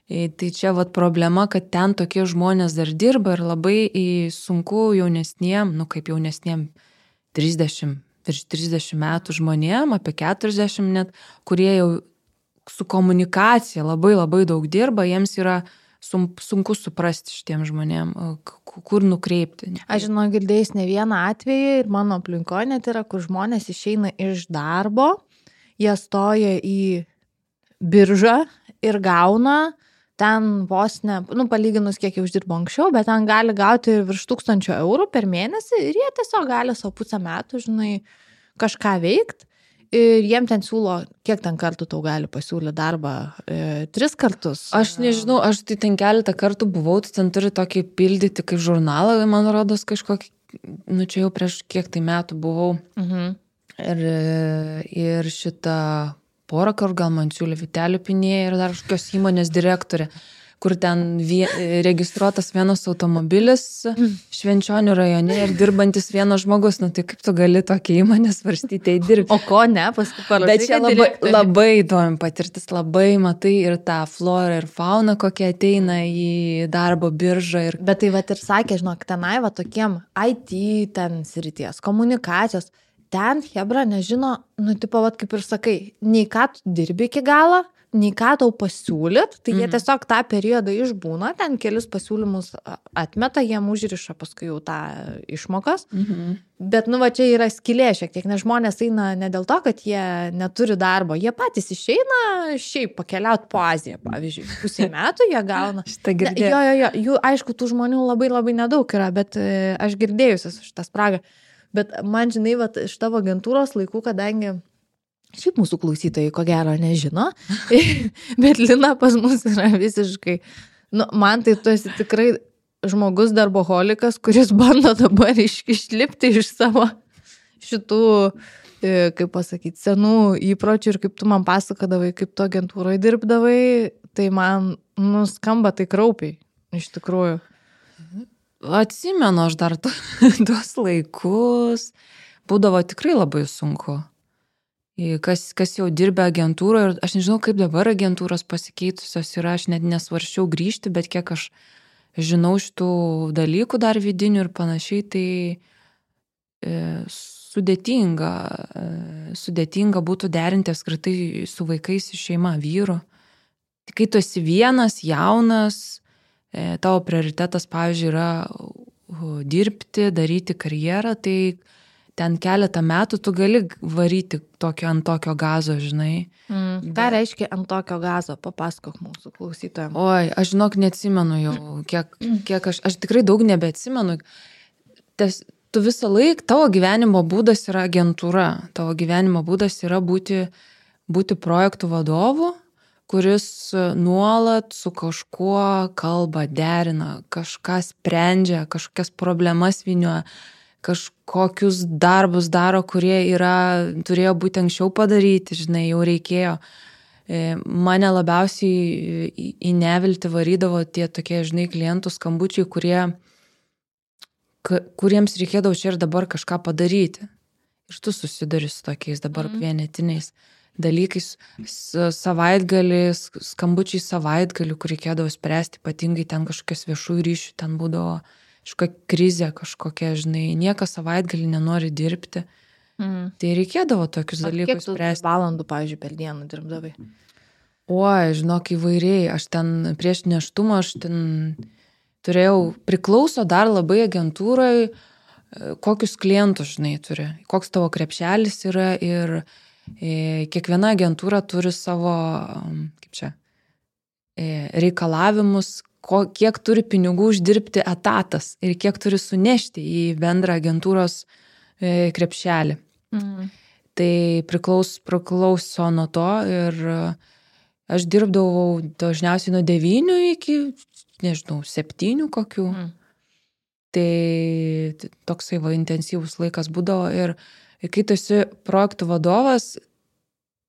Tai čia vat problema, kad ten tokie žmonės dar dirba ir labai sunku jaunesniem, nu kaip jaunesniem trisdešimt, virš trisdešimt metų žmonėm, apie keturiasdešimt net, kurie jau su komunikacija labai labai daug dirba, jiems yra sunku suprasti šitiem žmonėm, kur nukreipti. Aš žinau, girdėjus ne vieną atvejį ir mano aplinkoje net yra, kur žmonės išeina iš darbo, jie stoja į biržą ir gauna ten vos ne, nu, palyginus kiek jau uždirbo anksčiau, bet ten gali gauti virš tūkstančio eurų per mėnesį ir jie tiesiog gali savo pusę metų, žinai, kažką veikti ir jiem ten siūlo, kiek ten kartų tau gali pasiūlyti darbą, e, tris kartus. Aš nežinau, aš tai ten keletą kartų buvau, tai ten turi tokį pildyti kaip žurnalą, man rodos kažkokį, nu čia jau prieš kiek tai metų buvau Mhm. ir, ir šitą porą kartų gal man siūlė vytelių pinėje ir dar kažkokios įmonės direktorė, kur ten vie, registruotas vienas automobilis Švenčionių rajone ir dirbantis vienas žmogus, nu tai kaip tu gali tokią įmonę svarstyti įdirbti. O ko ne, paskui parašai. Bet čia labai, labai įdomi patirtis, labai matai ir tą florą ir fauną, kokie ateina į darbo biržą. Ir... Bet tai vat ir sakė, žinok, tenai va tokiem I T ten srities, komunikacijos, ten hebra nežino, nu tipo, vat kaip ir sakai, nei ką tu dirbi iki galo, nei ką tau pasiūlyt, tai jie tiesiog tą periodą išbūna, ten kelis pasiūlymus atmeta, jiem užriša paskui jau tą išmokas. Mhm. Bet, nu, va, čia yra skylė šiek tiek, nes žmonės eina ne dėl to, kad jie neturi darbo, jie patys išeina šiaip pakeliauti po Aziją, pavyzdžiui, pusė metų jie gauna. Šitą girdėjau. Jo, jo, jo, jų, aišku, tų žmonių labai labai nedaug yra, bet e, aš girdėjusias šitą spragą. Bet man, žinai, va, iš tavo agentūros laikų, kadangi šiaip mūsų klausytojai, ko gero, nežino, bet Lina pas mus yra visiškai, nu, man tai tu esi tikrai žmogus darboholikas, kuris bando dabar iš, išlipti iš savo šitų, kaip pasakyti, senų įpročių ir kaip tu man pasakodavai, kaip tu agentūroje dirbdavai, tai man, nu, skamba tai kraupiai, iš tikrųjų. Atsimenu aš dar tuos laikus, būdavo tikrai labai sunku. Kas, kas jau dirbė agentūroje, ir aš nežinau, kaip dabar agentūros pasikeitusios yra, aš net nesvarščiau grįžti, bet kiek aš žinau šitų dalykų dar vidinių ir panašiai, tai e, sudėtinga, e, sudėtinga būtų derinti apskritai su vaikais į šeimą, vyru. Tai kai tu esi vienas, jaunas, e, tavo prioritetas, pavyzdžiui, yra dirbti, daryti karjerą, tai ten keletą metų tu gali varyti tokio ant tokio gazo, žinai. Mm. Ką reiškia ant tokio gazo? Papasakok mūsų klausytojams. Oi, aš žinok, neatsimenu jau, kiek, kiek aš, aš tikrai daug nebeatsimenu. Tes, tu visą laiką, tavo gyvenimo būdas yra agentūra, tavo gyvenimo būdas yra būti, būti projektų vadovu, kuris nuolat su kažkuo kalba, derina, kažką sprendžia, kažkokias problemas vynioja, kažkokius darbus daro, kurie yra, turėjo būti anksčiau padaryti, žinai, jau reikėjo. Mane labiausiai į neviltį varydavo tie tokie, žinai, klientų skambučiai, kurie, kuriems reikėdavo čia ir dabar kažką padaryti. Ir tu susiduri su tokiais dabar mm. vienetiniais dalykais, savaitgalis, skambučiai savaitgalių, kur reikėdavo spręsti, ypatingai ten kažkokias viešųjų ryšių, ten būdavo kažkokia krizė, kažkokia, žinai, niekas savaitgalį nenori dirbti. Mm. Tai reikėdavo tokius dalykus spręsti. Kiek tu valandų, pavyzdžiui, per dieną dirbdavai? Oi, žinok, įvairiai. Aš ten prieš nėštumą, aš ten turėjau, priklauso dar labai agentūrai, kokius klientus, žinai, turi, koks tavo krepšelis yra ir e, kiekviena agentūra turi savo, kaip čia, e, reikalavimus, ko, kiek turi pinigų uždirbti etatas ir kiek turi sunešti į bendrą agentūros e, krepšelį. Mm. Tai priklauso, priklauso nuo to ir aš dirbdavau dažniausiai nuo devynių iki, nežinau, septynių kokių. Mm. Tai toksai va intensyvus laikas būdavo ir kai tu esi projektų vadovas,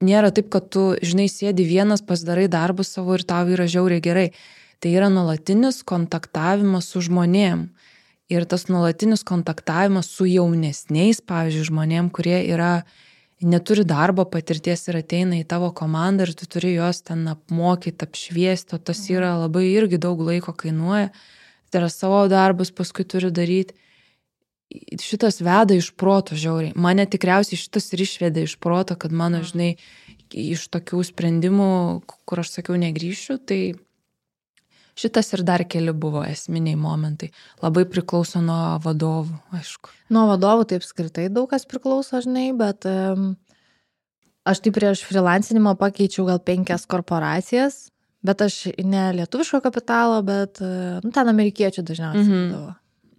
nėra taip, kad tu, žinai, sėdi vienas, pasidarai darbus savo ir tau yra žiauriai gerai. Tai yra nuolatinis kontaktavimas su žmonėm. Ir tas nuolatinis kontaktavimas su jaunesniais, pavyzdžiui, žmonėm, kurie yra, neturi darbo patirties ir ateina į tavo komandą ir tu turi juos ten apmokyti, apšviesti, o tas yra labai irgi daug laiko kainuoja. Tai yra savo darbus paskui turi daryti. Šitas veda iš proto žiauriai. Mane tikriausiai šitas ir išveda iš proto, kad mano, žinai, iš tokių sprendimų, kur aš sakiau negrįšiu, tai šitas ir dar keli buvo esminiai momentai. Labai priklauso nuo vadovų, aišku. Nuo vadovų taip skirtai daug kas priklauso, žinai, bet um, aš tai prieš freelancinimą pakeičiau gal penkias korporacijas, bet aš ne lietuviško kapitalo, bet nu, ten amerikiečių dažniausiai mm-hmm. būdavo.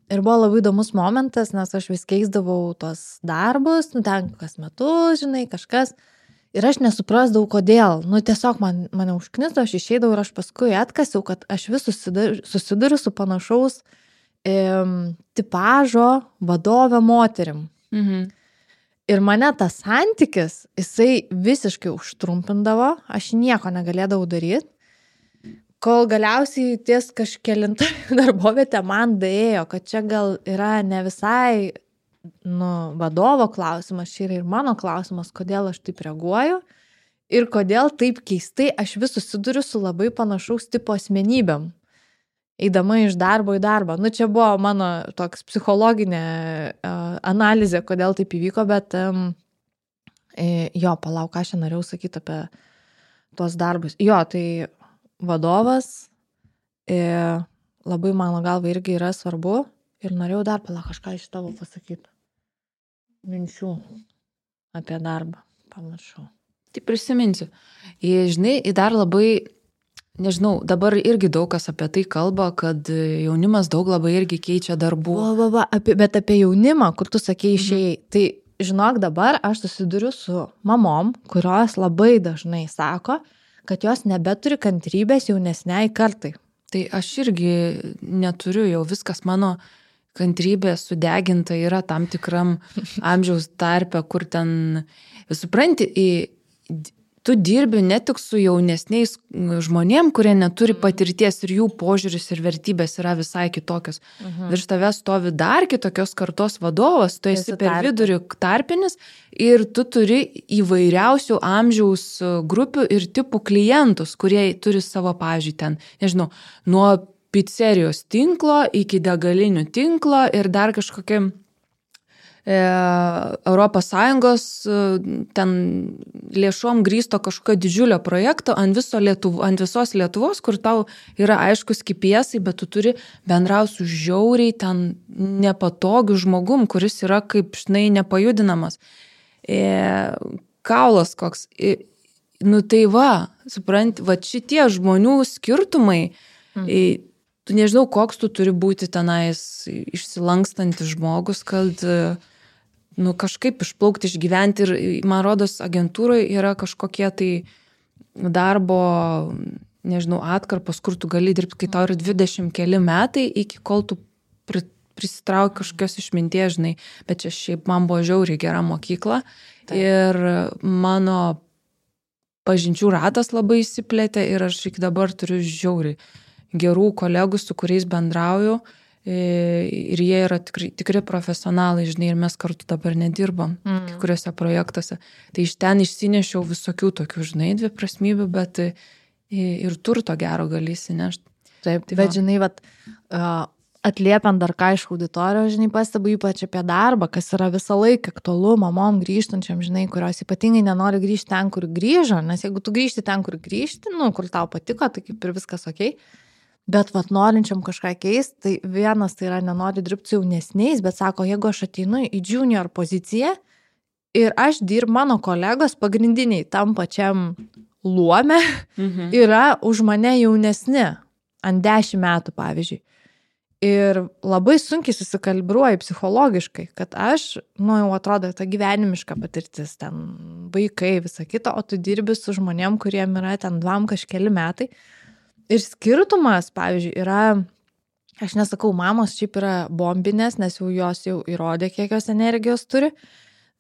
Ir buvo labai įdomus momentas, nes aš vis keisdavau tos darbus, nu ten kas metus, žinai, kažkas. Ir aš nesuprasdavau, kodėl. Nu, tiesiog man, mane užknisdavo, aš išeidavau ir aš paskui atkasiau, kad aš vis susiduriu, susiduriu su panašaus e, tipažo vadovę moterim. Mhm. Ir mane tas santykis, jisai visiškai užtrumpindavo, aš nieko negalėdavau daryti, kol galiausiai ties kažkelintą darbovietę man daėjo, kad čia gal yra ne visai nu, vadovo klausimas, čia yra ir mano klausimas, kodėl aš taip reaguoju ir kodėl taip keistai aš vis susiduriu su labai panašaus tipo asmenybėm, eidama iš darbo į darbą. Nu, čia buvo mano toks psichologinė uh, analizė, kodėl taip įvyko, bet um, jo, palauk, ką aš norėjau sakyti apie tuos darbus. Jo, tai vadovas e, labai mano galva irgi yra svarbu ir norėjau dar pala kažką iš tavo pasakyti. Minčių apie darbą, pamiršau. Tai prisiminsiu. Ir, žinai, dar labai, nežinau, dabar irgi daug kas apie tai kalba, kad jaunimas daug labai irgi keičia darbų. Va, va, va, apie, bet apie jaunimą, kur tu sakei išėjai, mhm. tai žinok, dabar aš susiduriu su mamom, kurios labai dažnai sako, kad jos nebeturi kantrybės jaunesniai kartai. Tai aš irgi neturiu, jau viskas mano kantrybė sudeginta yra tam tikram amžiaus tarpe, kur ten, supranti, tu dirbi ne tik su jaunesniais žmonėm, kurie neturi patirties ir jų požiūris ir vertybės yra visai kitokios. Mhm. Virš tavęs stovi dar kitokios kartos vadovas, tu esi per vidurį tarpinis ir tu turi įvairiausių amžiaus grupių ir tipų klientus, kurie turi savo, pavyzdžiui, ten, nežinau, nuo pizzerijos tinklo iki degalinių tinklo ir dar kažkokie e, Europos Sąjungos e, ten lėšom grįsto kažkokio didžiulio projekto ant, viso Lietuvo, ant visos Lietuvos, kur tau yra aiškus kipiesai, bet tu turi bendrauti su žiauriai ten nepatogiu žmogum, kuris yra kaip, žinai, nepajudinamas. E, kaulas koks. E, nu tai va, supranti, va šitie žmonių skirtumai, mm. e, tu nežinau, koks tu turi būti tenais išsilankstantis žmogus, kad nu, kažkaip išplaukti, išgyventi. Ir man rodos, agentūroje yra kažkokie tai darbo, nežinau, atkarpos, kur tu gali dirbti, kai tau yra dvidešimt keli metai, iki kol tu pri, prisitrauki kažkokios išminties, žinai. Bet čia šiaip man buvo žiauriai gera mokykla. Taip. Ir mano pažinčių ratas labai įsiplėtė ir aš iki dabar turiu žiauriai gerų kolegų, su kuriais bendrauju ir jie yra tikri, tikri profesionalai, žinai, ir mes kartu dabar nedirbam mm. kai kuriuose projektuose. Tai iš ten išsinešiau visokių tokių, žinai, dviprasmybių, bet ir turto gero gali įsinešti. Taip, tai bet va. Žinai, vat, atliepiant dar ką iš auditorijos, žinai, pastebu ypač apie darbą, kas yra visą laiką aktualu mamom grįžtančiam, žinai, kurios ypatingai nenori grįžti ten, kur grįžo, nes jeigu tu grįžti ten, kur grįžti, nu, kur tau patiko, tai kaip ir viskas okei. Bet vat norinčiam kažką keisti, tai vienas tai yra nenori dirbti su jaunesniais, bet sako, jeigu aš ateinu į junior poziciją ir aš dirbu, mano kolegos pagrindiniai tam pačiam luome mhm. yra už mane jaunesni, ant dešimt metų pavyzdžiui. Ir labai sunkiai susikalibruoju psichologiškai, kad aš, nu jau atrodo, ta gyvenimiška patirtis, ten vaikai, visa kita, o tu dirbi su žmonėm, kuriem yra ten dvam kažkeli metai. Ir skirtumas, pavyzdžiui, yra, aš nesakau, mamos šiaip yra bombinės, nes jau jos jau įrodė, kiek jos energijos turi,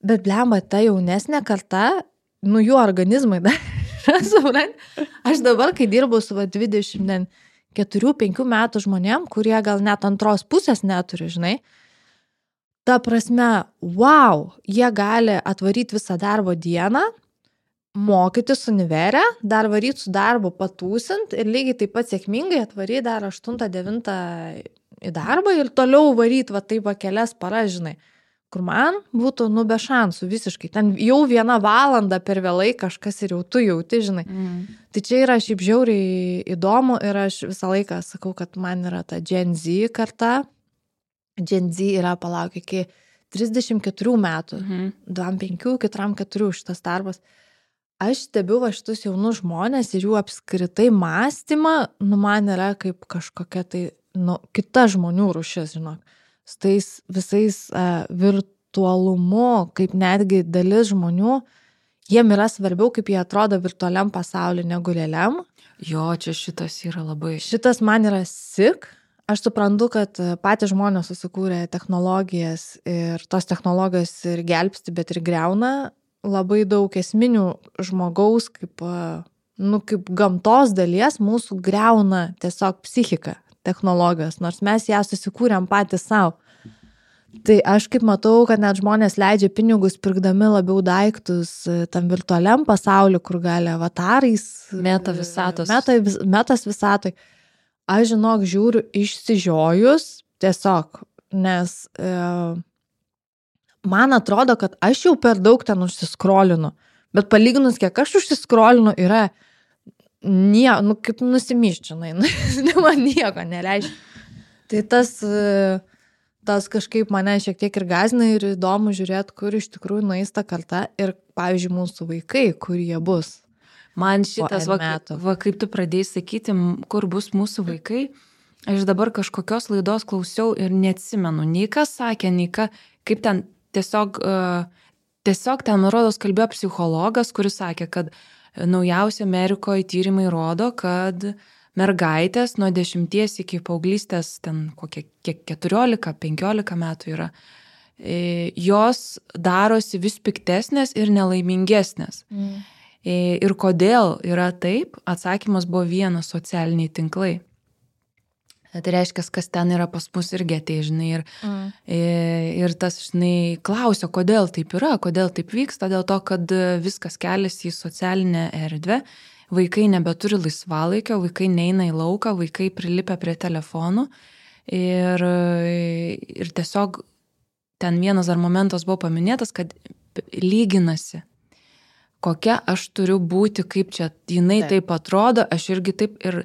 bet blemba, ta jaunesnė karta, nu jų organizmai dar, supranti, aš dabar, kai dirbu su va, dvidešimt keturių penkių metų žmonėm, kurie gal net antros pusės neturi, žinai, ta prasme, wow, jie gali atvaryti visą darbo dieną, mokytis univerę, dar varyti su darbu patūsint ir lygiai taip pat sėkmingai atvaryti dar aštuntą devintą į darbą ir toliau varyti va taip va kelias paras, žinai, kur man būtų nu be šansų visiškai. Ten jau vieną valandą per vėlai kažkas ir jau tu jauti, žinai. Mm. Tai čia yra šiaip žiauriai įdomu ir aš visą laiką sakau, kad man yra ta Gen Z karta. Gen Z yra palauk iki trisdešimt keturių metų, mm. dvidešimt penkių, keturiasdešimt keturių šitas darbas. Aš stebiu va šitus jaunus žmonės ir jų apskritai mąstymą, nu man yra kaip kažkokia tai, nu, kita žmonių rūšis, žinok. Su tais visais uh, virtualumu, kaip netgi dalis žmonių, jiem yra svarbiau, kaip jie atrodo virtualiam pasauliu negu realiam. Jo, čia šitas yra labai. Šitas man yra sick. Aš suprantu, kad patys žmonės susikūrė technologijas ir tos technologijos ir gelbsti, bet ir greuna labai daug esminių žmogaus, kaip, nu, kaip gamtos dalies mūsų greuna tiesiog psichika technologijos, nors mes ją susikūrėm patys savo. Tai aš kaip matau, kad net žmonės leidžia pinigus pirkdami labiau daiktus tam virtualiam pasauliu, kur gali avatarais, meta visatos. Meta, metas visatoj. Aš žinok, žiūriu išsižiojus tiesiog, nes e, man atrodo, kad aš jau per daug ten užsiskrolinu, bet palyginus, kiek aš užsiskrolinu, yra nie, nu, kaip nusimyščinai, man nieko nereiškia. Tai tas, tas kažkaip mane šiek tiek ir gazina ir įdomu žiūrėti, kur iš tikrųjų nueis ta karta ir, pavyzdžiui, mūsų vaikai, kur jie bus. Man šitas, va, va, kaip tu pradėjai sakyti, kur bus mūsų vaikai, aš dabar kažkokios laidos klausiau ir neatsimenu, nei kas sakė, nei ką, kaip ten tiesiog, tiesiog ten, rodos, kalbėjo psichologas, kuris sakė, kad naujausi Amerikoje tyrimai rodo, kad mergaitės nuo dešimties iki paauglystės, ten kokie keturiolika, penkiolika metų yra, jos darosi vis piktesnės ir nelaimingesnės. Mm. Ir kodėl yra taip? Atsakymas buvo vienas: socialiniai tinklai. Tai reiškia, kas ten yra pas mus irgi atei, žinai, ir, mm. ir tas, žinai, klausia, kodėl taip yra, kodėl taip vyksta, dėl to, kad viskas keliasi į socialinę erdvę, vaikai nebeturi laisvalaikio, vaikai neina į lauką, vaikai prilipia prie telefonų ir, ir tiesiog ten vienas dar momentas buvo paminėtas, kad lyginasi, kokia aš turiu būti, kaip čia jinai taip, taip atrodo, aš irgi taip ir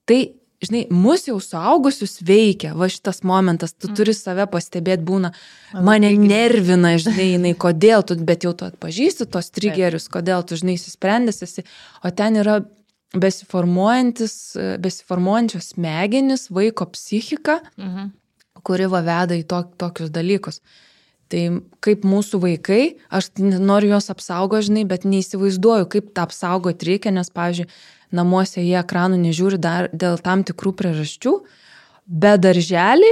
tai, žinai, mus jau suaugusius veikia, va šitas momentas, tu turi save pastebėti, būna, mane nervina, žinai, jinai, kodėl tu, bet jau tu atpažįsti tos trigerius, kodėl tu, žinai, įsisprendęs esi, o ten yra besiformuojantis, besiformuojančios smegenis, vaiko psichika, mhm. kuri va veda į to, tokius dalykus. Tai kaip mūsų vaikai, aš noriu juos apsaugo, žinai, bet neįsivaizduoju, kaip tą apsaugoti reikia, nes, pavyzdžiui, namuose jie ekranų nežiūri dar dėl tam tikrų priežasčių, bet darželį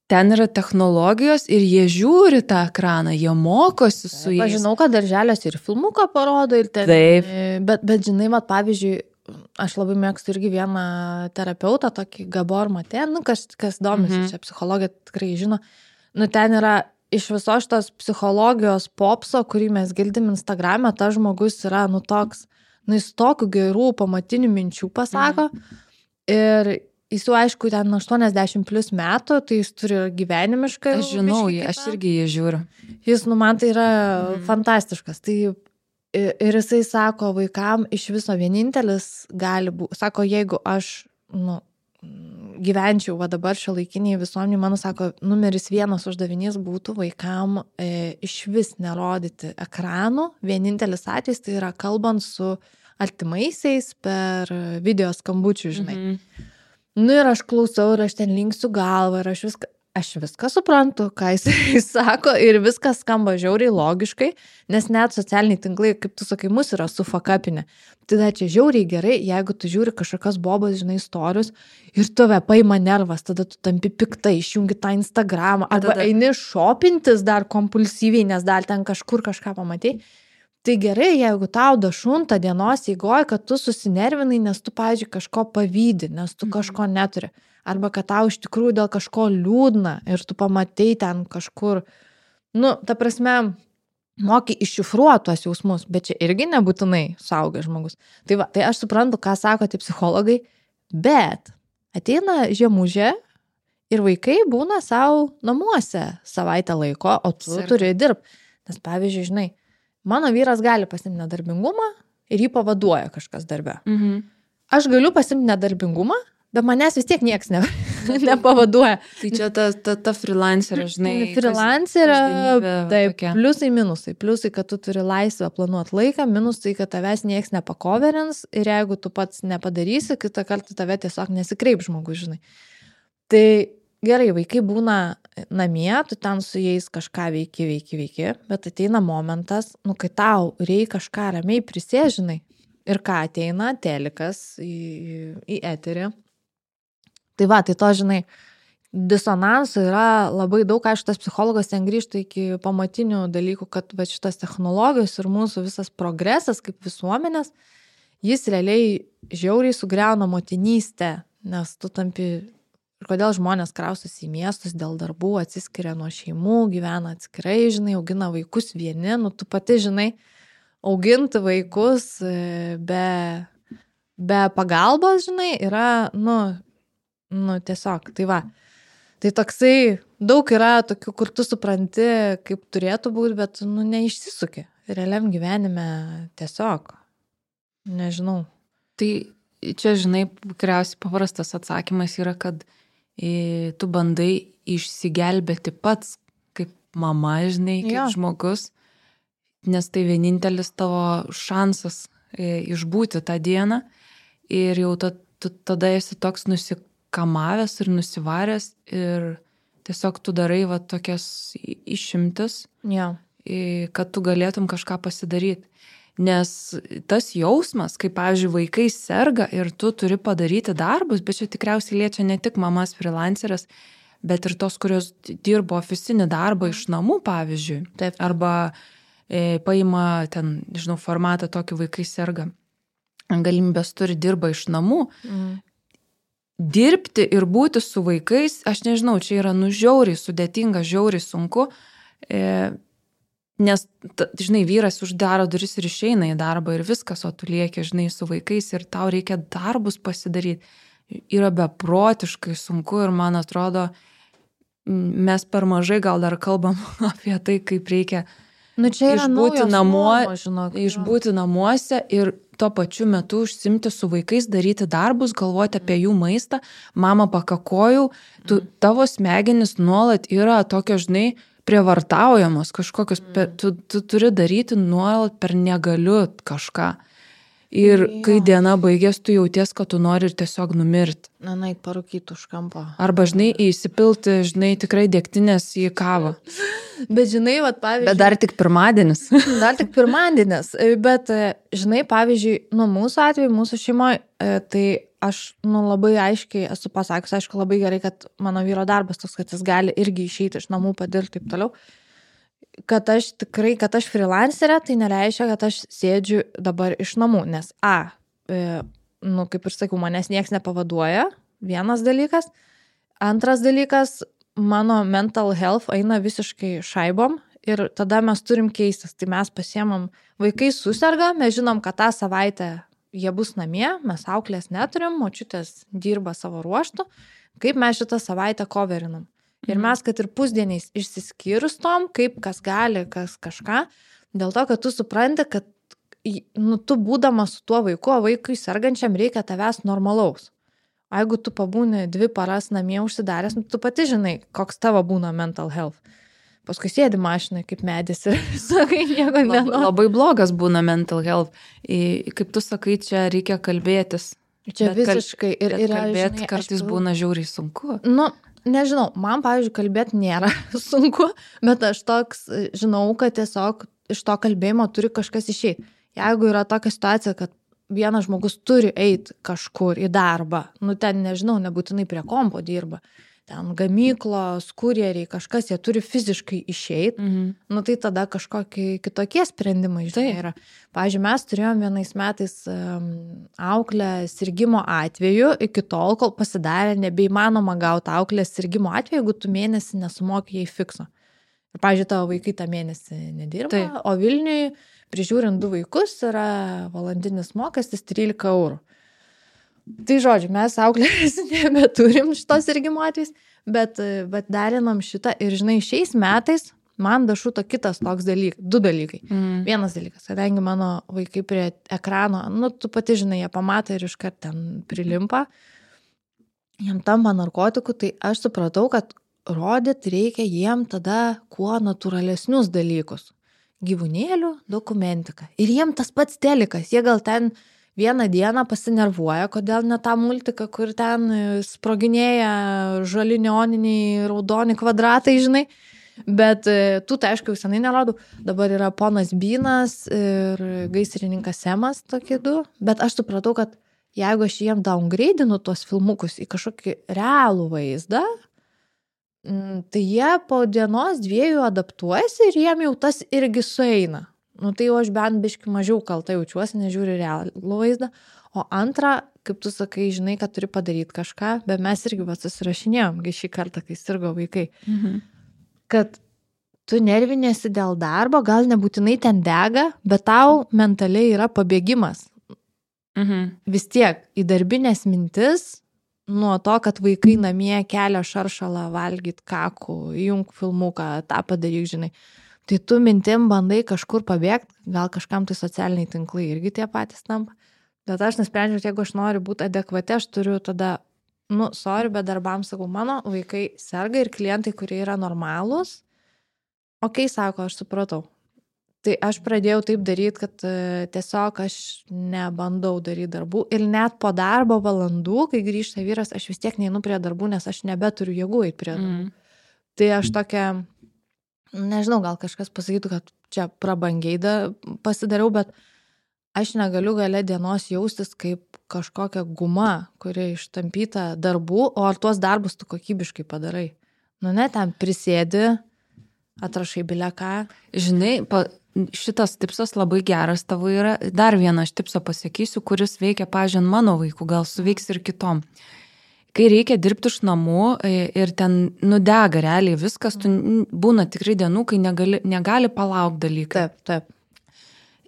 ten yra technologijos ir jie žiūri tą ekraną, jie mokosi su jais. Aš žinau, kad darželės ir filmuką parodo ir ten. Taip. Bet, bet žinai, mat, pavyzdžiui, aš labai mėgstu irgi vieną terapeutą, tokį Gabor Mate, nu, kas, kas domisi, mhm. čia psichologija tikrai žino, nu, ten yra iš viso šitos psichologijos popso, kurį mes girdim Instagrame, tas žmogus yra, nu, toks, nu, jis tokių gerų pamatinių minčių pasako mhm. ir jis jau, aišku, ten aštuoniasdešimt plus metų, tai jis turi gyvenimiškai. Aš žinau, jį, aš irgi jį žiūriu. Jis, nu, man tai yra mhm. fantastiškas. Tai ir jisai sako, vaikam iš viso vienintelis gali būti, sako, jeigu aš, nu, gyvenčiau va dabar šiuolaikiniai visuomeniai, mano, sako, numeris vienas uždavinys būtų vaikam e, iš vis nerodyti ekranų. Vienintelis atvejis tai yra kalbant su artimaisiais per video skambučių, žinai. Mm-hmm. Nu ir aš klausau ir aš ten linksiu galvą ir aš viską, aš viską suprantu, ką jis sako ir viskas skamba žiauriai logiškai, nes net socialiniai tinklai, kaip tu sakai, mus yra sufakapinę. Tai da čia žiauriai gerai, jeigu tu žiūri kažkokios bobos, žinai, istorius ir tave paima nervas, tada tu tampi piktai, išjungi tą Instagramą, arba tada eini šopintis dar kompulsyviai, nes dar ten kažkur kažką pamatai. Tai gerai, jeigu tau dašunta dienos eigoje, kad tu susinervinai, nes tu, pavyzdžiui, kažko pavydi, nes tu kažko neturi. Arba kad tau iš tikrųjų dėl kažko liūdna ir tu pamatai ten kažkur. Nu, ta prasme, moki iššifruoti tuos jausmus, bet čia irgi nebūtinai suaugęs žmogus. Tai va, tai aš suprantu, ką sako tie psichologai, bet ateina žiemužė ir vaikai būna savo namuose savaitę laiko, o tu Sirka. Turi dirbti. Nes, pavyzdžiui, žinai, mano vyras gali pasimti nedarbingumą ir jį pavaduoja kažkas darbe. Mhm. Aš galiu pasimti nedarbingumą, bet manęs vis tiek nieks ne, nepavaduoja. Tai čia ta, ta, ta freelancerė, žinai. Freelancerė, taip, pliusai, minusai. Pliusai, kad tu turi laisvę planuoti laiką, minusai, kad tavęs nieks nepakoverins ir jeigu tu pats nepadarysi, kitą kartą tave tiesiog nesikreip žmogus, žinai. Tai gerai, vaikai būna namie, tu ten su jais kažką veiki, veiki, veiki, bet ateina momentas, nu, kai tau reikia kažką ramiai prisėžinai. Ir ką ateina, telikas į, į eterį. Tai va, tai to, žinai, disonansų yra labai daug, aišku, tas psichologas ten grįžta iki pamatinių dalykų, kad va šitas technologijos ir mūsų visas progresas kaip visuomenės, jis realiai žiauriai sugriauna motinystę, nes tu tampi, ir kodėl žmonės kraustosi į miestus dėl darbų, atsiskiria nuo šeimų, gyvena atskirai, žinai, augina vaikus vieni, nu tu pati, žinai, auginti vaikus be, be pagalbos, žinai, yra, nu, nu, tiesiog, tai va. Tai toksai, daug yra tokių, kur tu supranti, kaip turėtų būti, bet, nu, neišsisuki. Realiam gyvenime tiesiog, nežinau. Tai čia, žinai, tikriausiai paprastas atsakymas yra, kad e, tu bandai išsigelbėti pats kaip mama, žinai, kaip Jo. žmogus, nes tai vienintelis tavo šansas e, išbūti tą dieną ir jau ta, tu, tada esi toks nusikamavęs ir nusivaręs ir tiesiog tu darai va tokias išimtis, Jo. e, kad tu galėtum kažką pasidaryti. Nes tas jausmas, kai, pavyzdžiui, vaikai serga ir tu turi padaryti darbus, bet čia tikriausiai liečia ne tik mamas freelancerės, bet ir tos, kurios dirbo ofisinį darbą iš namų, pavyzdžiui. Taip. Arba e, paima ten, žinau, formatą tokį vaikai serga. Galimybės turi dirba iš namų. Mm. Dirbti ir būti su vaikais, aš nežinau, čia yra nu žiauriai sudėtinga, žiauriai sunku. E, Nes, ta, žinai, vyras uždaro duris ir išeina į darbą ir viskas, o tu lieki, žinai, su vaikais ir tau reikia darbus pasidaryti. Yra beprotiškai sunku ir man atrodo, mes per mažai gal dar kalbam apie tai, kaip reikia Nu, čia yra išbūti, naujos namuo, normos, žinok, jo. išbūti namuose ir tuo pačiu metu užsimti su vaikais, daryti darbus, galvoti apie jų maistą. Mama, pakakojau, tu, tavo smegenis nuolat yra tokio, žinai, prievartaujamos kažkokius, mm. tu, tu turi daryti nuolat per negaliu kažką. Ir Jo. kai diena baigės, tu jauties, kad tu nori ir tiesiog numirti. Na, nait parūkyti už kampo. Arba, žinai, įsipilti, žinai, tikrai degtinės į kavą. Bet, žinai, vat, pavyzdžiui... Bet dar tik pirmadienis. Dar tik pirmadienis. Bet, žinai, pavyzdžiui, nu, mūsų atveju, mūsų šeimoje, tai aš, nu, labai aiškiai esu pasakius, aišku, labai gerai, kad mano vyro darbas toks, kad jis gali irgi išeiti iš namų, padirti taip toliau. Kad aš tikrai, kad aš freelancerė, tai nereiškia, kad aš sėdžiu dabar iš namų, nes A, e, nu, kaip ir sakiau, manęs nieks nepavaduoja, vienas dalykas. Antras dalykas, mano mental health eina visiškai šaibom ir tada mes turim keistis. Tai mes pasiemam, vaikai suserga, mes žinom, kad tą savaitę jie bus namie, mes auklės neturim, močiutės dirba savo ruoštų, kaip mes šitą savaitę coverinam. Ir mes, kad ir pusdieniais išsiskirstom, kaip kas gali, kas kažką, dėl to, kad tu supranti, kad nu, tu būdamas su tuo vaiku, o vaikui sergančiam reikia tavęs normalaus. O jeigu tu pabūni dvi paras namie užsidaręs, tu pati žinai, koks tavo būna mental health. Paskui sėdi mašinai kaip medis ir sakai, nieko nenori. Labai blogas būna mental health. I, kaip tu sakai, čia reikia kalbėtis. Čia bet visiškai. Kal... Ir, ir kalbėti žinai, kartais aš... būna žiauriai sunku. Nu, nežinau, man, pavyzdžiui, kalbėti nėra sunku, bet aš toks žinau, kad tiesiog iš to kalbėjimo turi kažkas išeiti. Jeigu yra tokia situacija, kad vienas žmogus turi eiti kažkur į darbą, nu ten, nežinau, nebūtinai prie kompo dirba, ten gamyklos, kurjeriai, kažkas, jie turi fiziškai išeiti, Mhm. nu tai tada kažkokie kitokie sprendimai, žinai, yra. Pavyzdžiui, mes turėjom vienais metais um, auklę sirgimo atveju, iki tol, kol pasidarė nebeįmanoma gauti auklės sirgimo atveju, jeigu tu mėnesį nesumokė jai fikso. Ir, pavyzdžiui, tavo vaikai tą mėnesį nedirba, Taip. o Vilniui prižiūrint du vaikus yra valandinis mokestis trylika eurų. Tai žodžiu, mes auklės nebeturim šitos sirgimo atvejais, bet, bet derinam šitą ir, žinai, šiais metais man dašuto kitas toks dalykas, du dalykai. Mhm. Vienas dalykas, kadangi mano vaikai prie ekrano, nu, tu pati žinai, jie pamato ir iškart ten prilimpa, jam tampa narkotikų, tai aš supratau, kad rodyt reikia jiem tada kuo natūralesnius dalykus. Gyvūnėlių dokumentika. Ir jiem tas pats telikas, jie gal ten vieną dieną pasinervuoja, kodėl ne tą multiką, kur ten sproginėja žali neoniniai raudoni kvadratai, žinai. Bet tu tai aišku jau senai nerodau. Dabar yra ponas Bynas ir gaisrininkas Semas, tokie du. Bet aš supratau, kad jeigu aš jiem downgradeinu tuos filmukus į kažkokį realų vaizdą, tai jie po dienos dviejų adaptuojasi ir jiem jau tas irgi sueina. Nu tai jau aš bent biški mažiau kalta jaučiuosi, nežiūri realų vaizdą. O antra, kaip tu sakai, žinai, kad turi padaryti kažką, bet mes irgi va susirašinėjom, kai šį kartą, kai sirgo vaikai. Mhm. Kad tu nervinėsi dėl darbo, gal nebūtinai ten dega, bet tau mentaliai yra pabėgimas. Mhm. Vis tiek į darbinės mintis, nuo to, kad vaikai namie kelia šaršalą, valgyt kakų, įjung filmuką, tą padaryk, žinai. Tai tu mintim bandai kažkur pabėgti, gal kažkam tai socialiniai tinklai irgi tie patys tampa. Bet aš nusprendžiau, jeigu aš noriu būti adekvati, aš turiu tada, nu, sorry, bet darbams sakau, mano vaikai serga ir klientai, kurie yra normalūs, okei, okay, sako, aš supratau. Tai aš pradėjau taip daryti, kad uh, tiesiog aš nebandau daryti darbų ir net po darbo valandų, kai grįžta vyras, aš vis tiek neinu prie darbų, nes aš nebeturiu jėgų eiti prie darbų. Mm. Tai aš tokia, nežinau, gal kažkas pasakytų, kad čia prabangiai da, pasidariau, bet aš negaliu gale dienos jaustis kaip kažkokia guma, kuri ištampyta darbų, o ar tuos darbus tu kokybiškai padarai. Nu ne, ten prisėdi, atrašai bilę ką. Žinai, pa, šitas tipsas labai geras tavo yra. Dar vieną aš tipsą pasakysiu, kuris veikia, pažiūrėjant, mano vaikų, gal suveiks ir kitom. Kai reikia dirbti iš namų ir ten nudega realiai viskas, tu būna tikrai dienų, kai negali, negali palaukti dalykai. Taip, taip.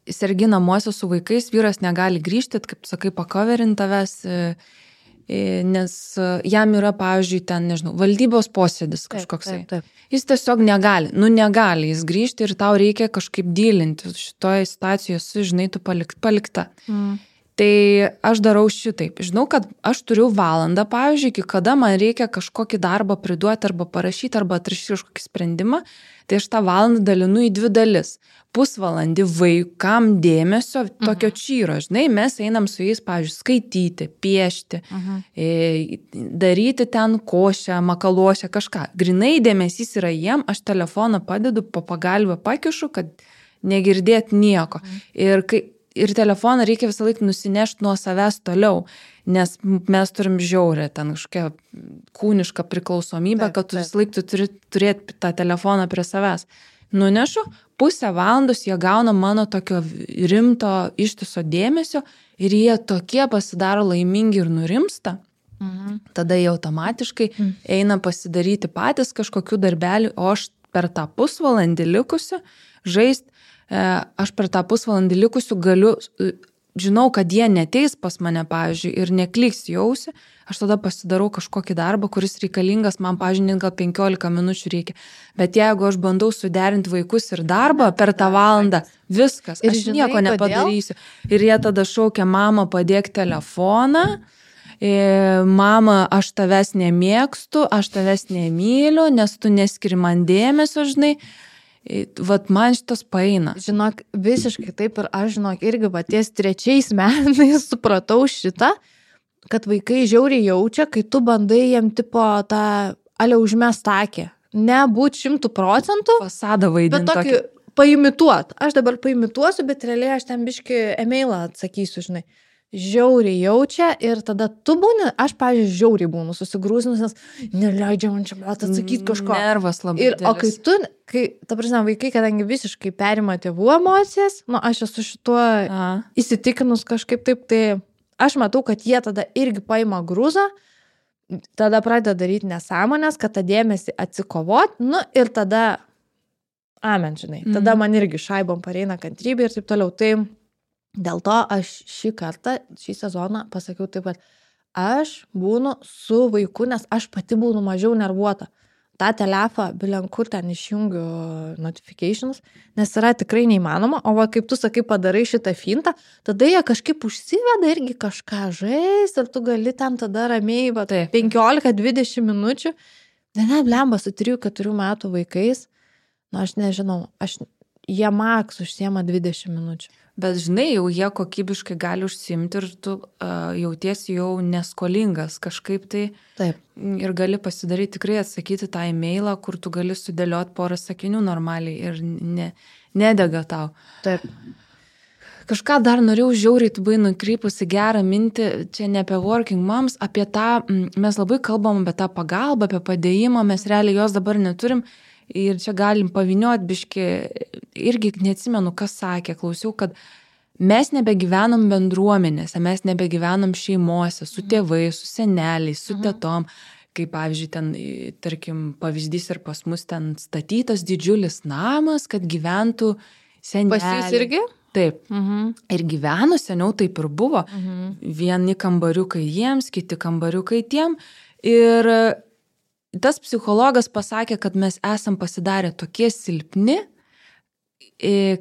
Sergi namuose su vaikais, vyras negali grįžti, kaip sakai, pakoverint tavęs, nes jam yra, pavyzdžiui, ten, nežinau, valdybos posėdis kažkoksai. Taip, taip, taip. Jis tiesiog negali, nu negali jis grįžti ir tau reikia kažkaip dylinti. Šitoje situacijoje, su, žinai, tu palik, palikta. Mm. Tai aš darau šitaip. Žinau, kad aš turiu valandą, pavyzdžiui, iki kada man reikia kažkokį darbą priduoti arba parašyti arba atrašyti kažkokį sprendimą, tai aš tą valandą dalinu į dvi dalis. Pusvalandį vaikam dėmesio tokio čyro, žinai, mes einam su jais, pavyzdžiui, skaityti, piešti, uh-huh. e, daryti ten košę, makaluošę, kažką. Grinai dėmesys yra jiem, aš telefoną padedu, po pagalbę pakišu, kad negirdėt nieko. Uh-huh. Ir, kai, ir telefoną reikia visą laiką nusinešti nuo savęs toliau, nes mes turim žiaurę ten kažkokią kūnišką priklausomybę, taip, kad tu visą laiką tu turi turėti tą telefoną prie savęs. Nunešu, pusę valandos jie gauna mano tokio rimto ištiso dėmesio ir jie tokie pasidaro laimingi ir nurimsta. Mhm. Tada jie automatiškai mhm. eina pasidaryti patys kažkokių darbelių, o aš per tą pusvalandį likusiu žaist, aš per tą pusvalandį likusiu galiu, žinau, kad jie neteis pas mane, pavyzdžiui, ir nekliks jausi, aš tada pasidarau kažkokį darbą, kuris reikalingas, man, pavyzdžiui, gal penkiolika minučių reikia. Bet jeigu aš bandau suderinti vaikus ir darbą per tą valandą, viskas, ir aš žinai, nieko nepadarysiu. Kodėl? Ir jie tada šaukia, mama, padėk telefoną, mama, aš tavęs nemėgstu, aš tavęs nemyliu, nes tu neskiri man dėmesio, žinai. Vat man šitas paeina. Žinok, visiškai taip ir aš, žinok, irgi va ties trečiais metais supratau šitą, kad vaikai žiauriai jaučia, kai tu bandai jiem tipo tą ale užmest akį. Nebūt šimtų procentų. Fasadą vaidinti. Bet tokį paimituot. Aš dabar paimituosiu, bet realiai aš ten biški emailą atsakysiu, žinai. Žiauriai jaučia ir tada tu būni, aš, pavyzdžiui, žiauriai būnu susigrūzinus, nes neleidžia man čia mat atsakyti kažko. Nervas labai ir, o kai tu, kai, ta prasme, vaikai, kadangi visiškai perima tėvų emocijas, nu, aš esu šituo A. įsitikinus kažkaip taip, tai aš matau, kad jie tada irgi paima grūzą, tada pradeda daryti nesąmonės, kad tą dėmesį atsikovot, nu, ir tada, amen, žinai, tada mm. man irgi šaibom pareina kantrybė ir taip toliau, tai dėl to aš šį kartą, šį sezoną pasakiau taip, kad aš būnu su vaiku, nes aš pati būnu mažiau nervuota. Ta telefą, bilenkur ten išjungiu notifications, nes yra tikrai neįmanoma, o va, kaip tu sakai, padarai šitą fintą, tada jie kažkaip užsiveda irgi kažką žais ir tu gali ten tada ramiai va, penkiolika dvidešimt minučių. Ne, blemba, su trijų keturių metų vaikais, nu aš nežinau, aš, jie maks užsiema dvidešimt minučių. Bet žinai, jau jie kokybiškai gali užsiimti ir tu uh, jautiesi jau neskolingas kažkaip tai. Taip. Ir gali pasidaryti tikrai atsakyti tą e-mailą, kur tu gali sudėlioti porą sakinių normaliai ir ne, nedega tau. Taip. Kažką dar norėjau žiauriai, tu buvai nukreipusi gerą mintį, čia ne apie working moms, apie tą, mes labai kalbam apie tą pagalbą, apie padėjimą, mes realiai jos dabar neturim. Ir čia galim paviniot biški, irgi neatsimenu, kas sakė, klausiau, kad mes nebegyvenam bendruomenėse, mes nebegyvenam šeimose, su tėvais, su seneliais, su tetom, kaip pavyzdžiui, ten, tarkim, pavyzdys ir pas mus ten statytas didžiulis namas, kad gyventų seneliai. Pas jūs irgi? Taip. Mhm. Ir gyveno seniau taip ir buvo. Mhm. Vieni kambariukai jiems, kiti kambariukai tiem. Ir tas psichologas pasakė, kad mes esam pasidarę tokie silpni,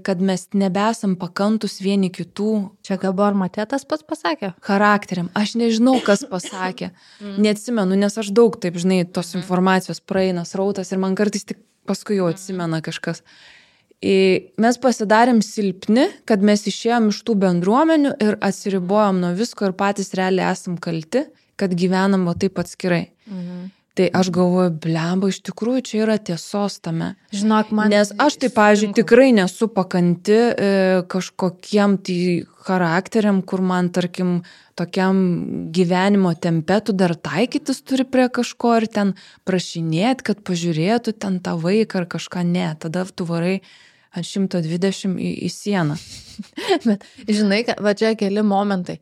kad mes nebesam pakantus vieni kitų. Čia Gabor Matė tas pats pasakė? Charakteriam. Aš nežinau, kas pasakė. Neatsimenu, nes aš daug, taip, žinai, tos informacijos praeina srautas ir man kartais tik paskui jau atsimena kažkas. Mes pasidarėm silpni, kad mes išėjom iš tų bendruomenių ir atsiribojom nuo visko ir patys realiai esam kalti, kad gyvenam o taip atskirai. Mhm. Tai aš galvoju, blemba, iš tikrųjų čia yra tiesos tame. Žinok, man... Nes aš tai, pavyzdžiui, tikrai nesu pakanti e, kažkokiem tai charakteriam, kur man, tarkim, tokiam gyvenimo tempe tu dar taikytis turi prie kažko ir ten prašinėti, kad pažiūrėtų ten tą vaiką ar kažką. Ne, tada tu varai ant šimto dvidešimt į, į sieną. Bet, žinai, va čia keli momentai.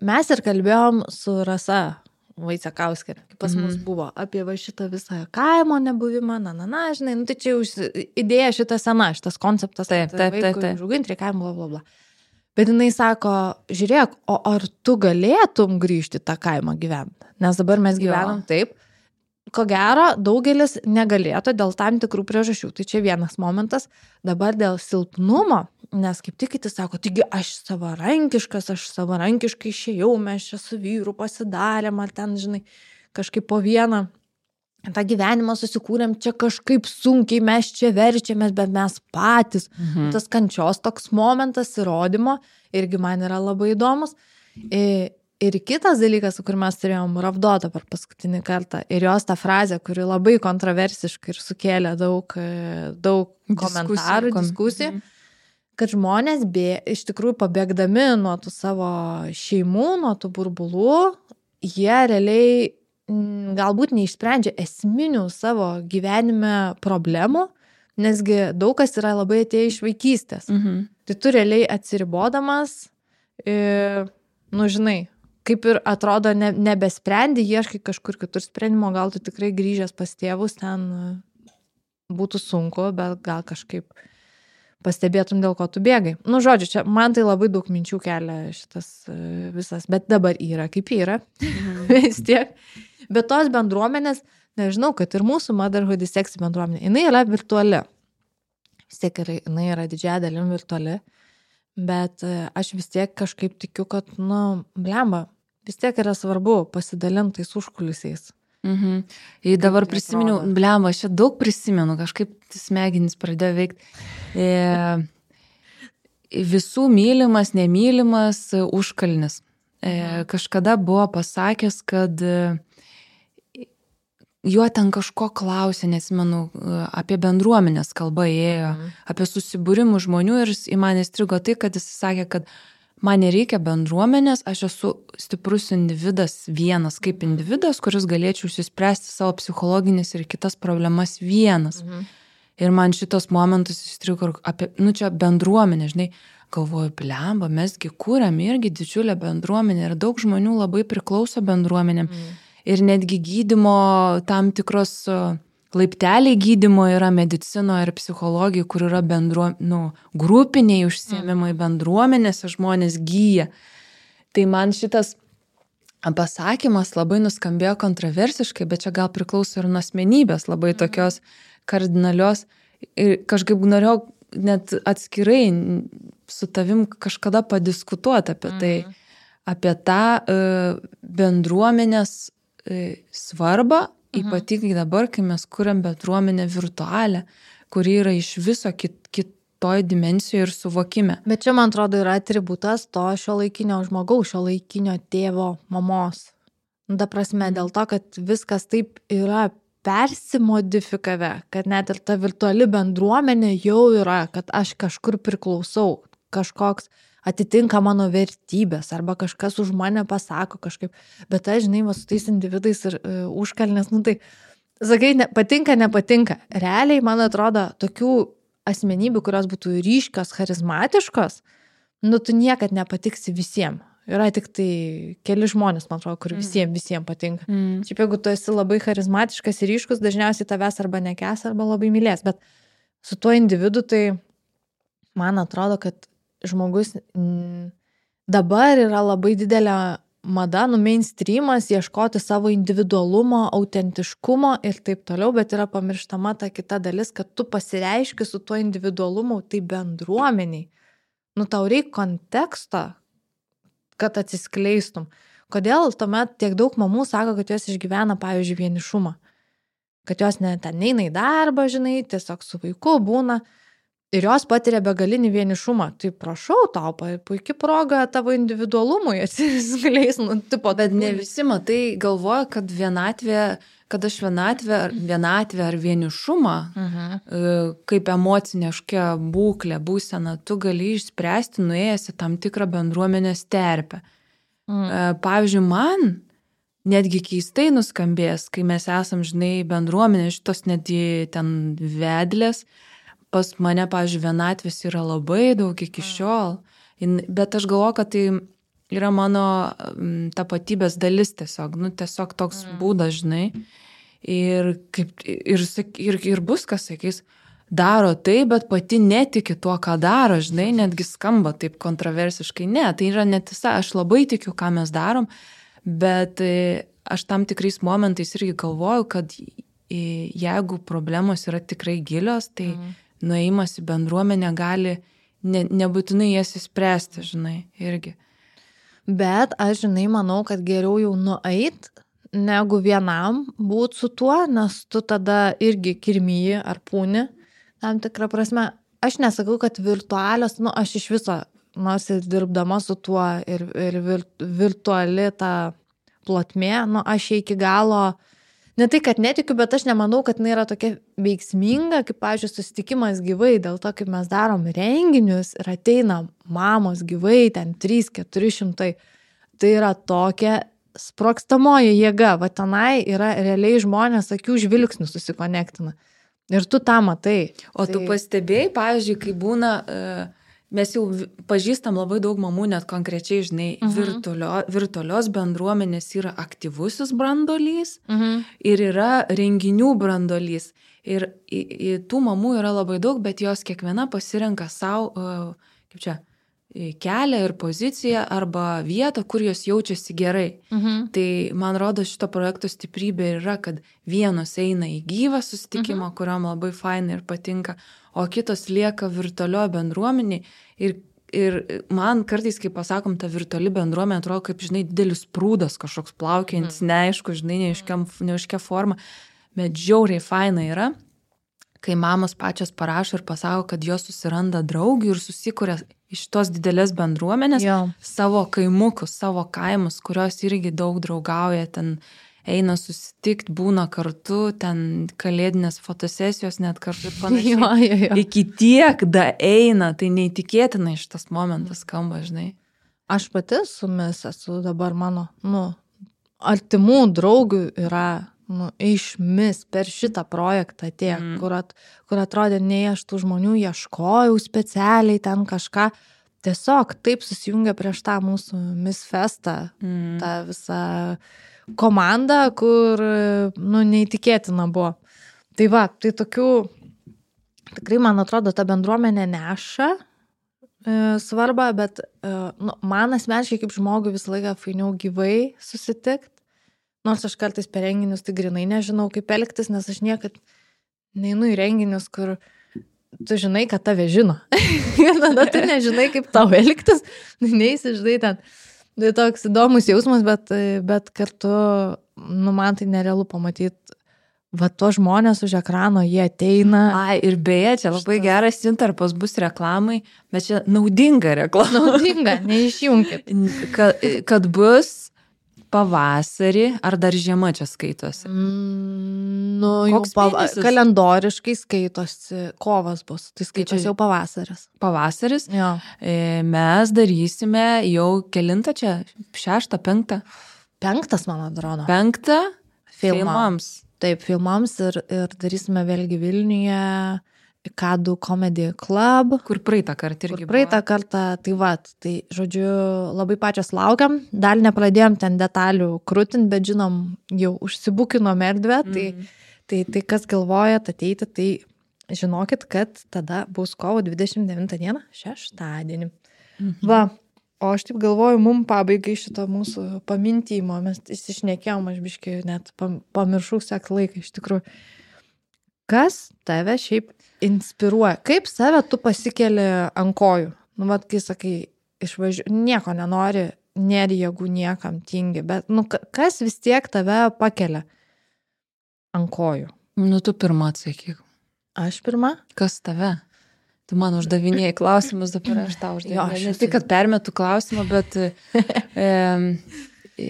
Mes ir kalbėjom su Rasa Vaicekauskė, kaip pas mus mm. buvo, apie va šitą visą kaimo nebuvimą, na, na, na, žinai, nu, tai čia jau idėja šita sena, šitas konceptas, taip, taip, taip, taip. Užauginti reikia kaimo, bla, bla, bla. Bet jinai sako, žiūrėk, o ar tu galėtum grįžti tą kaimą gyventi? Nes dabar mes gyvenam jo. Taip, ko gero, daugelis negalėtų dėl tam tikrų priežasčių. Tai čia vienas momentas, dabar dėl silpnumo, nes kaip tik kiti sako, taigi aš savarankiškas, aš savarankiškai išėjau, mes čia su vyru pasidarėm, ar ten, žinai, kažkaip po vieną tą gyvenimą susikūrėm, čia kažkaip sunkiai mes čia verčiamės, bet mes patys. Mhm. Tas kančios toks momentas įrodymo irgi man yra labai įdomus. Ir kitas dalykas, kur mes turėjom Ravdotą per paskutinį kartą, ir jos tą frazę, kuri labai kontroversiškai ir sukėlė daug, daug komentarų, diskusijų, mhm. kad žmonės bė, iš tikrųjų pabėgdami nuo tų savo šeimų, nuo tų burbulų, jie realiai m, galbūt neišsprendžia esminių savo gyvenime problemų, nesgi daug kas yra labai atėję iš vaikystės. Mhm. Tai tu realiai atsiribodamas, ir, nu žinai, kaip ir atrodo ne, nebesprendi, ieškai kažkur kitur sprendimo, gal tu tikrai grįžęs pas tėvus, ten būtų sunku, bet gal kažkaip pastebėtum, dėl ko tu bėgai. Nu, žodžiu, čia man tai labai daug minčių kelia šitas visas, bet dabar yra kaip yra, mhm. vis tiek. Bet tos bendruomenės, nežinau, kad ir mūsų Motherhood is Sexy bendruomenė, jinai yra virtuali. Vis tiek yra, jinai yra didžiąja dalim virtuali. Bet aš vis tiek kažkaip tikiu, kad, nu, blemba, vis tiek yra svarbu pasidalintais užkulisiais. Mhm. Ir dabar prisiminiau, blemba, aš čia daug prisimenu, kažkaip smegenys pradėjo veikti. E, visų mylimas, nemylimas užkalnis. E, kažkada buvo pasakęs, kad jo ten kažko klausė, nesimenu, apie bendruomenės kalba ėjo, mhm. apie susibūrimų žmonių ir į mane įstrigo tai, kad jis sakė, kad man nereikia bendruomenės, aš esu stiprus individas vienas, kaip individas, kuris galėčiau išsispręsti savo psichologinės ir kitas problemas vienas. Mhm. Ir man šitos momentus įstrigo apie, nu čia bendruomenė, žinai, galvoju, blemba, mesgi kūrėm irgi didžiulę bendruomenę ir daug žmonių labai priklauso bendruomenėm. Mhm. Ir netgi gydymo tam tikros laipteliai gydymo yra medicino ir psichologija, kur yra bendruo, nu, grupiniai užsiėmimai, bendruomenėse žmonės gyja. Tai man šitas pasakymas labai nuskambėjo kontroversiškai, bet čia gal priklauso ir nuo asmenybės, labai tokios kardinalios. Ir kažkaip norėjau net atskirai su tavim kažkada padiskutuoti apie tai, apie tą bendruomenės svarbą, mhm. ypatingai dabar, kai mes kuriam bendruomenę virtualią, kuri yra iš viso kit, kitoj dimensijoje ir suvokime. Bet čia, man atrodo, yra atributas to šiuolaikinio žmogaus, šiuolaikinio tėvo, mamos. Ta prasme, mhm. dėl to, kad viskas taip yra persimodifikavę, kad net ir ta virtuali bendruomenė jau yra, kad aš kažkur priklausau, kažkoks atitinka mano vertybės, arba kažkas už mane pasako kažkaip, bet aš, žinai, va, su tais individais ir uh, užkalnės, nu tai, sakai, ne, patinka, nepatinka. Realiai, man atrodo, tokių asmenybių, kurios būtų ryškios, charizmatiškos, nu tu niekad nepatiksi visiems. Yra tik tai keli žmonės, man atrodo, kur visiems, visiems patinka. Mm. Šiaip jeigu tu esi labai charizmatiškas ir ryškus, dažniausiai tavęs arba nekęs, arba labai mylės, bet su tuo individu, tai man atrodo, kad žmogus m, dabar yra labai didelė mada, nu mainstreamas, ieškoti savo individualumo, autentiškumo ir taip toliau, bet yra pamirštama ta kita dalis, kad tu pasireiški su tuo individualumu, tai bendruomeniai. Nu tau reikia konteksto, kad atsiskleistum. Kodėl tuomet tiek daug mamų sako, kad jos išgyvena, pavyzdžiui, vienišumą? Kad jos ne, ten neina į darbą, žinai, tiesiog su vaiku būna ir jos patiria begalinį vienišumą. Tai prašau tau, puikia proga tavo individualumui atsiskleis. Nu, tipo, bet ne visi, matai, galvoja, kad vienatvė, kad aš vienatvę, vienatvę ar vienišumą, uh-huh. kaip emocinė kažkokia būklė, būsena, tu gali išspręsti nuėjęs į tam tikrą bendruomenės terpę. Uh-huh. Pavyzdžiui, man netgi keistai nuskambės, kai mes esam, žinai, bendruomenė, šitos netgi ten vedlės, pas mane, pavyzdžiui, vienatvės yra labai daug iki šiol, bet aš galvoju, kad tai yra mano tapatybės dalis tiesiog, nu tiesiog toks būdas, žinai, ir, kaip, ir, ir, ir bus, kas sakys, daro tai, bet pati netiki tuo, ką daro, žinai, netgi skamba taip kontroversiškai, ne, tai yra netiesa, aš labai tikiu, ką mes darom, bet aš tam tikrais momentais irgi galvoju, kad jeigu problemos yra tikrai gilios, tai mm. nuėjimas į bendruomenę gali ne, nebūtinai jas įspręsti, žinai, irgi. Bet aš, žinai, manau, kad geriau jau nueit, negu vienam būt su tuo, nes tu tada irgi kirmyji ar pūni, tam tikrą prasme. Aš nesakau, kad virtualios, nu, aš iš viso, nors ir dirbdama su tuo ir, ir vir, virtuali ta plotmė, nu, aš iki galo, ne tai, kad netikiu, bet aš nemanau, kad jinai yra tokia veiksminga, kaip, pavyzdžiui, susitikimas gyvai, dėl to, kaip mes darom renginius ir ateina mamos gyvai, ten trys keturi šimtai. Tai yra tokia sprogstamoji jėga, va tenai yra realiai žmonės akių žvilgsnių susikonektina. Ir tu tą matai. O tai... tu pastebėjai, pavyzdžiui, kai būna, mes jau pažįstam labai daug mamų, net konkrečiai, žinai, uh-huh. virtualio, virtualios bendruomenės yra aktyvusis brandolys uh-huh. ir yra renginių brandolys. Ir į, į tų mamų yra labai daug, bet jos kiekviena pasirenka savo, kaip čia, kelią ir poziciją arba vietą, kur jos jaučiasi gerai. Mhm. Tai man rodo šito projekto stiprybė yra, kad vienos eina į gyvą susitikimą, mhm. kuriam labai fainai ir patinka, o kitos lieka virtualioje bendruomeniai. Ir, ir man kartais, kai pasakom, ta virtuali bendruomenė atrodo kaip, žinai, didelis prūdas kažkoks plaukiantis, mhm. neaišku, žinai, neaiškia forma, bet žiauriai fainai yra, kai mamos pačios parašo ir pasako, kad jos susiranda draugių ir susikuria iš tos didelės bendruomenės jo. Savo kaimukus, savo kaimus, kurios irgi daug draugauja, ten eina susitikti, būna kartu, ten kalėdinės fotosesijos net kartu ir panašiai. Jo, jo, jo. Iki tiek da eina, tai neįtikėtinai šitas momentas skamba, žinai. Aš pati su mis esu dabar mano, nu, artimų draugių yra nu, išmis per šitą projektą tiek, mm. kur, at, kur atrodė, nei aš tų žmonių ieškojau specialiai ten kažką, tiesiog taip susijungia prieš tą mūsų Miss Festą, mm. tą visą komandą, kur, nu, neįtikėtina buvo. Tai va, tai tokių, tikrai, man atrodo, ta bendruomenė neša e, svarbą, bet e, nu, man asmeniškai kaip žmogui visą laiką fainiau gyvai susitikti. Nors aš kartais per renginius tai grinai nežinau, kaip elgtis, nes aš niekad neinu į renginius, kur tu žinai, kad tave žino. Ir tada tu nežinai, kaip tau elgtis, neįsi, žinai, ten. Tai toks įdomus jausmas, bet, bet kartu, nu, man tai nerealu pamatyti, va, to žmonės už ekrano, jie ateina. Ai, ir beje, čia labai Štas. Geras intarpas bus reklamai, bet čia naudinga reklama. Naudinga, neišjunkit. Kad, kad bus pavasarį, ar dar žiema čia skaitosi? Mm, nu, jau pava- kalendoriškai skaitosi, kovas bus, tai skaitosi jau pavasaris. Pavasaris? Jo. E, mes darysime jau kelintą čia, šeštą, penktą? Penktas, man atrodo. Penktą? Filmams. Filmams. Taip, filmams ir, ir darysime vėlgi Vilniuje, Kadų Comedy Club. Kur praeitą kartą irgi Kur praeitą buvo. Kartą, tai va, tai žodžiu, labai pačios laukiam, dar nepradėjom ten detalių krūtin, bet žinom, jau užsibukinom erdvę, mm. tai, tai, tai kas galvojat ateiti, tai žinokit, kad tada bus kovo dvidešimt devintą dieną, šeštadienį. Mm-hmm. Va, O aš taip galvoju, mum pabaigai šito mūsų pamintymo, mes įsišnekėjom, aš biškai net pamiršau sek laiką iš tikrųjų. Kas tave šiaip inspiruoja? Kaip save tu pasikeli ant kojų? Nu, vat, kai sakai, išvažiuoju, nieko nenori, nėra jėgų niekam, tingi, bet, nu, kas vis tiek tave pakelia ant kojų? Nu, tu pirmą atsakyk. Aš pirmą? Kas tave? Tu man uždavinėjai klausimus, dabar aš tau uždavinėjau. Ne tik, kad permetu klausimą, bet e, e,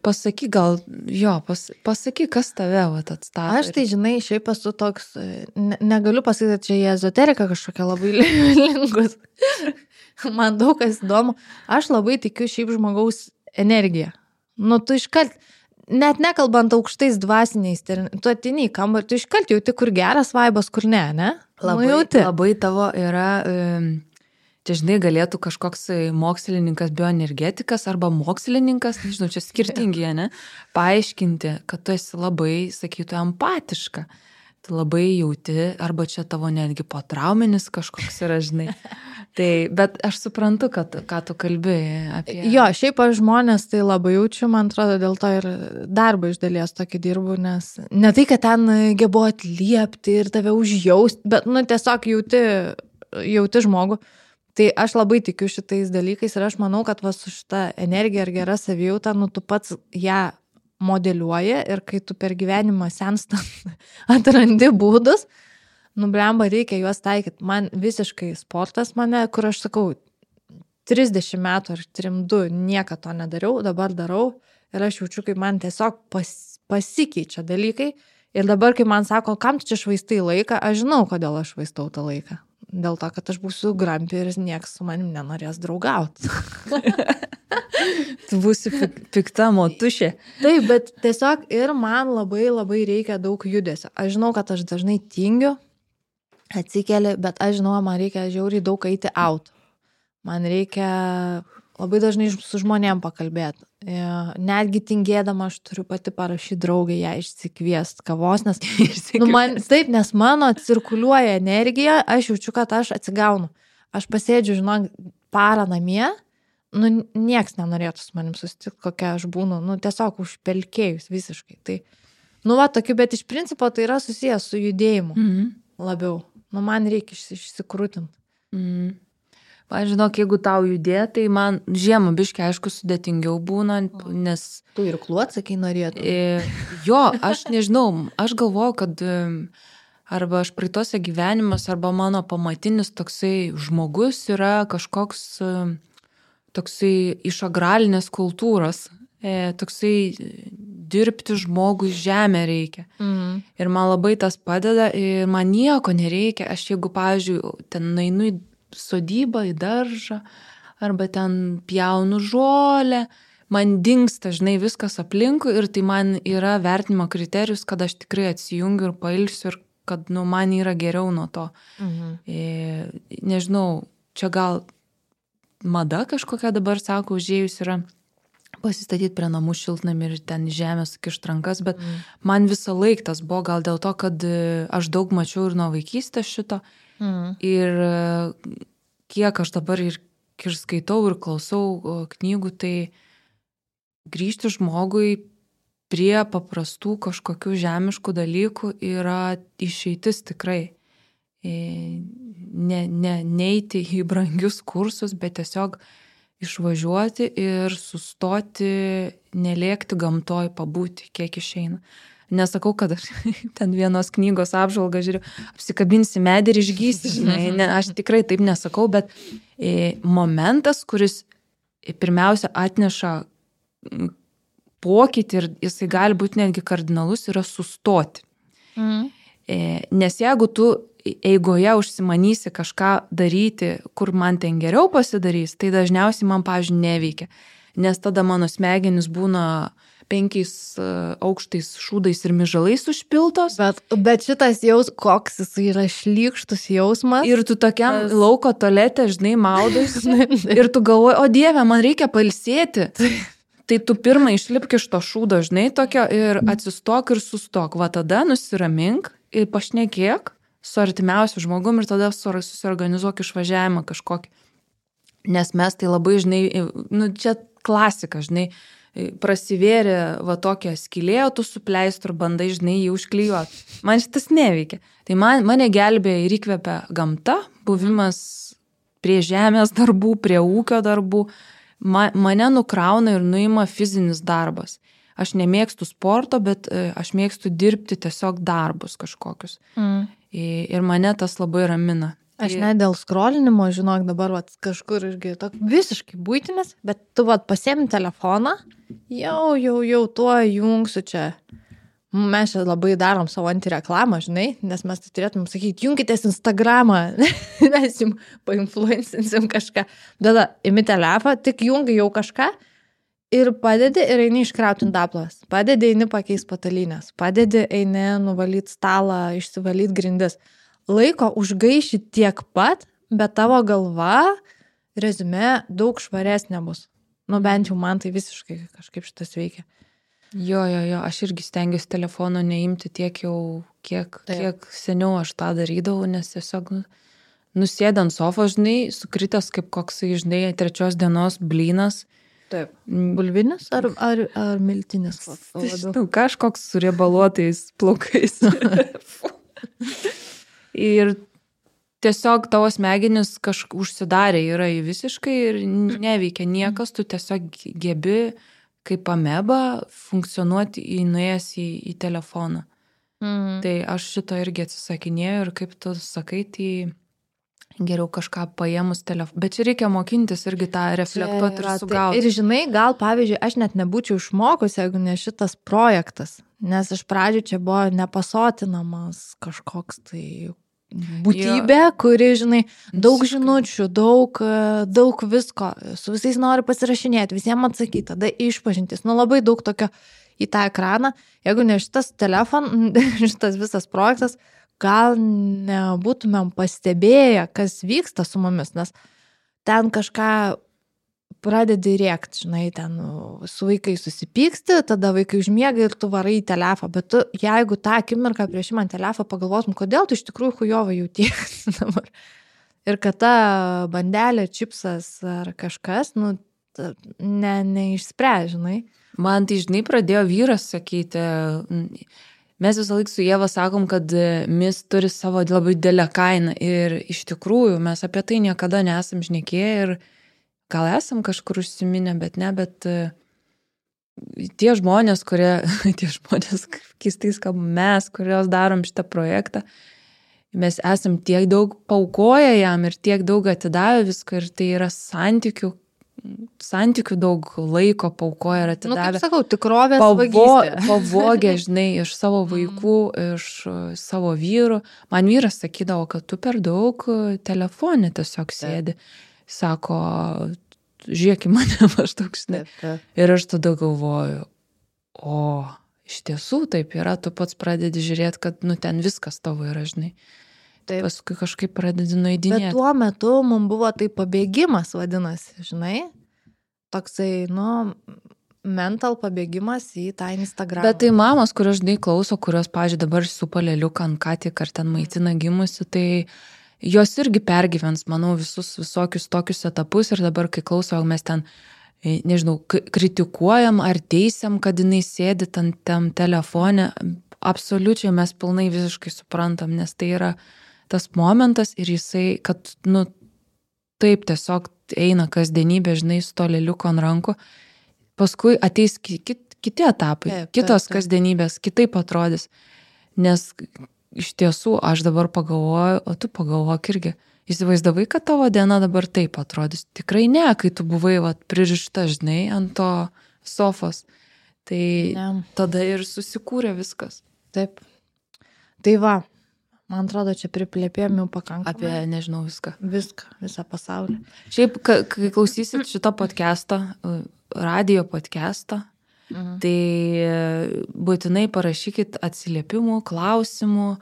pasakyk gal, jo, pas, pasakyk, kas tave vat, atstato. Aš tai, žinai, šiaip esu toks, ne, negaliu pasakyti, kad čia į ezoteriką kažkokia labai linkus. Man daug kas įdomu. Aš labai tikiu šiaip žmogaus energiją. Nu, tu iškart, net nekalbant aukštais dvasiniais, tu atini į kambarį, tu iškart jauti, kur geras vaibas, kur ne, ne? Labai, nu, labai tavo yra, čia žinai, galėtų kažkoks mokslininkas, bioenergetikas arba mokslininkas, nežinau, čia skirtingi, ne, paaiškinti, kad tu esi labai, sakytų, empatiška. Tu labai jauti, arba čia tavo netgi potrauminis kažkoks yra, žinai. Tai, bet aš suprantu, kad, ką tu kalbi apie... Jo, šiaip aš žmonės tai labai jaučiu, man atrodo, dėl to ir darbą iš dalies tokį dirbu, nes ne tai, kad ten gebu atliepti ir tave užjausti, bet, nu, tiesiog jauti, jauti žmogų. Tai aš labai tikiu šitais dalykais ir aš manau, kad va su šita energija ir gera savijauta, nu, tu pats ją modeliuoja ir kai tu per gyvenimą senstant atrandi būdus, nu, blemba, reikia juos taikyti. Man visiškai sportas mane, kur aš sakau, trisdešimt metų ar trim du niekad to nedariau, dabar darau ir aš jaučiu, kaip man tiesiog pas, pasikeičia dalykai ir dabar, kai man sako, kam tu čia švaistai laiką, aš žinau, kodėl aš švaistau tą laiką. Dėl to, kad aš būsiu grampi ir nieks su manim nenorės draugauti. Tu būsi pikta motušė. Taip, bet tiesiog ir man labai labai reikia daug judesio. Aš žinau, kad aš dažnai tingiu, atsikeli, bet aš žinau, man reikia žiauriai daug eiti out. Man reikia labai dažnai su žmonėm pakalbėti. Netgi tingėdama aš turiu pati parašyti draugę, ją išsikviest kavos, nes, nu, man, taip, nes mano cirkuliuoja energija, aš jaučiu, kad aš atsigaunu. Aš pasėdžiu, žinok, parą namie, nu, nieks nenorėtų su manim susitikti, kokia aš būnu, nu, tiesiog užpelkėjus visiškai. Tai, nu, va, tokiu, bet iš principo tai yra susijęs su judėjimu mm-hmm. labiau. Nu, man reikia išsikrūtinti. Mm. Aš žinok, jeigu tau judė, tai man žiemą biškai, aišku, sudėtingiau būna, nes... Tu ir kluot, sakai, norėtum. E, jo, aš nežinau, aš galvoju, kad arba aš praeitose gyvenimas, arba mano pamatinis toksai žmogus yra kažkoks toksai iš agralinės kultūros, e, toksai dirbti žmogui žemę reikia. Mhm. Ir man labai tas padeda ir man nieko nereikia. Aš jeigu, pavyzdžiui, ten nainu į sodybą, į daržą, arba ten pjaunu žolę, man dingsta, žinai, viskas aplinkui ir tai man yra vertinimo kriterijus, kad aš tikrai atsijungiu ir pailsiu ir kad, nu, man yra geriau nuo to. Mhm. E, nežinau, čia gal mada kažkokia dabar, sako, užėjus yra pasistatyti prie namų šiltnamį ir ten žemės kišt rankas, bet mhm. man visą laiką tas buvo gal dėl to, kad aš daug mačiau ir nuo vaikystės šito. Mm. Ir kiek aš dabar ir, ir skaitau ir klausau knygų, tai grįžti žmogui prie paprastų kažkokių žemiškų dalykų yra išeitis tikrai. Ne, ne, neiti į brangius kursus, bet tiesiog išvažiuoti ir sustoti, nelėkti gamtoj, pabūti, kiek išeina. Nesakau, kad aš ten vienos knygos apžvalgą žiūriu, apsikabinsi medį ir išgysi, žinai, ne, aš tikrai taip nesakau, bet e, momentas, kuris pirmiausia atneša pokytį ir jisai gali būti netgi kardinalus, yra sustoti. Mm. E, nes jeigu tu eigoje užsimanysi kažką daryti, kur man ten geriau pasidarys, tai dažniausiai man, pavyzdžiui, neveikia, nes tada mano smegenys būna penkiais aukštais šūdais ir mižalais užpiltos. Bet, bet šitas jaus, koks jis yra šlykštus jausmas. Ir tu tokiam tas... lauko tualete, žinai, maudaisi ir tu galvoji, o Dieve, man reikia pailsėti. Tai tu pirmą išlipk iš to šūdo, žinai, tokio ir atsistok ir sustok. Va tada nusiramink ir pašnekėk su artimiausiu žmogum ir tada susiorganizuok išvažiavimą kažkokį. Nes mes tai labai, žinai, nu, čia klasika, žinai, prasivėrė va tokią skylė, o tu su pleistru bandai, žinai, jį užklijuoti. Man šitas neveikia. Tai man, mane gelbėja ir įkvepia gamta, buvimas prie žemės darbų, prie ūkio darbų. Ma, mane nukrauna ir nuima fizinis darbas. Aš nemėgstu sporto, bet aš mėgstu dirbti tiesiog darbus kažkokius. Mm. Ir mane tas labai ramina. Aš ne dėl skrolinimo, žinok, dabar vat, kažkur irgi tok, visiškai būtinis, bet tu vat, pasiemi telefoną, jau, jau, jau tuo jungsiu čia. Mes čia labai darom savo antireklamą, žinai, nes mes tai turėtum sakyti, jungitės Instagramą, mes jums painfluencinsim kažką. Tada imi telefoną, tik jungi jau kažką ir padedi ir eini iškrauti indaplovės. Padedi, eini pakeis patalynės. Padedi, eini nuvalyti stalą, išsivalyti grindis. Laiko užgaiši tiek pat, bet tavo galva, rezume, daug švaresnė bus. Nu, bent jau man tai visiškai kažkaip šitas veikia. Jo, jo, jo, aš irgi stengiuosi telefono neimti tiek jau, kiek, kiek seniau aš tą darydavau, nes tiesiog nu, nusėdant sofą, žinai, sukritęs kaip koksai, žinai, trečios dienos blynas. Taip. Bulvinis ar, ar, ar miltinis? Žinau, kažkoks su riebaluotais plaukais. Ir tiesiog tavo smegenis kažkaip užsidarė yra į visiškai ir neveikia niekas, tu tiesiog gebi kaip ameba funkcionuoti įnuėjęs į, į telefoną. Mm. Tai aš šito irgi atsisakinėjau ir kaip tu sakai, tai geriau kažką paėmus telefoną. Bet čia reikia mokintis irgi tą reflektuoti ir sugauti. Ir žinai, gal pavyzdžiui, aš net nebūčiau išmokus, jeigu ne šitas projektas. Nes iš pradžių čia buvo nepasotinamas kažkoks tai būtybė, jo. Kuri, žinai, daug žinučių, daug, daug visko, su visais nori pasirašinėti, visiems atsakyti, tada išpažintis. Nu, labai daug tokio į tą ekraną. Jeigu ne šitas telefon, šitas visas projektas, gal nebūtumėm pastebėję, kas vyksta su mumis, nes ten kažką pradedi rėkti, žinai, ten su vaikai susipyksti, tada vaikai užmiega ir tu varai į telefą, bet tu, jeigu tą akimirką prieš man telefą pagalvotum, kodėl tu iš tikrųjų chujovai jautiesi dabar. Ir kad ta bandelė, čipsas ar kažkas, nu, ne, neišspręs, žinai. Man tai, žinai, pradėjo vyras sakyti, mes visą laiką su Ieva sakom, kad mis turi savo labai didelę kainą ir iš tikrųjų mes apie tai niekada nesam šnekėję ir gal esam kažkur užsiminę, bet ne, bet tie žmonės, kurie, tie žmonės, keistais kaip mes, kurios darom šitą projektą, mes esam tiek daug paukoję jam ir tiek daug atidavę visko ir tai yra santykių, santykių daug laiko paukoję ir atidavę. Nu, kaip sakau, tikrovės Pavo, vagystė. Pavogė, žinai, iš savo vaikų, iš savo vyrų. Man vyras sakydavo, kad tu per daug telefone tiesiog sėdi. Sako, žiūrėk į mane maždaug, žinai. Ir aš tada galvoju, o iš tiesų taip yra, tu pats pradedi žiūrėti, kad nu ten viskas tavo yra, žinai. Taip. Paskui kažkaip pradedi nueidinėti. Bet tuo metu mums buvo tai pabėgimas, vadinasi, žinai. Toksai, nu, mental pabėgimas į tą Instagramą. Bet tai mamos, kurios, žinai, klauso, kurios, pavyzdžiui, dabar su paleliuką ant ką tik ar ten maitina gimusi, tai jos irgi pergyvens, manau, visus visokius tokius etapus ir dabar, kai klauso, mes ten, nežinau, kritikuojam ar teisiam, kad jinai sėdi tam, tam telefone, absoliučiai mes pilnai visiškai suprantam, nes tai yra tas momentas ir jisai, kad, nu, taip tiesiog eina kasdienybė, žinai, su to lėliuko ant rankų, paskui ateis kiti, kiti etapai, taip, kitos taip, taip. Kasdienybės, kitaip atrodys, nes iš tiesų, aš dabar pagalvoju, o tu pagalvok irgi, įsivaizdavai, kad tavo diena dabar taip atrodys. Tikrai ne, kai tu buvai vat, pririšta, žinai, ant to sofos. Tai ne. Tada ir susikūrė viskas. Taip. Tai va, man atrodo, čia priplėpėm jau pakankamai. Apie, nežinau, viską. Viską, visą pasaulį. Šiaip, kai klausysit šito podcast'o, radio podcast'o, Mhm. Tai būtinai parašykit atsiliepimų, klausimų,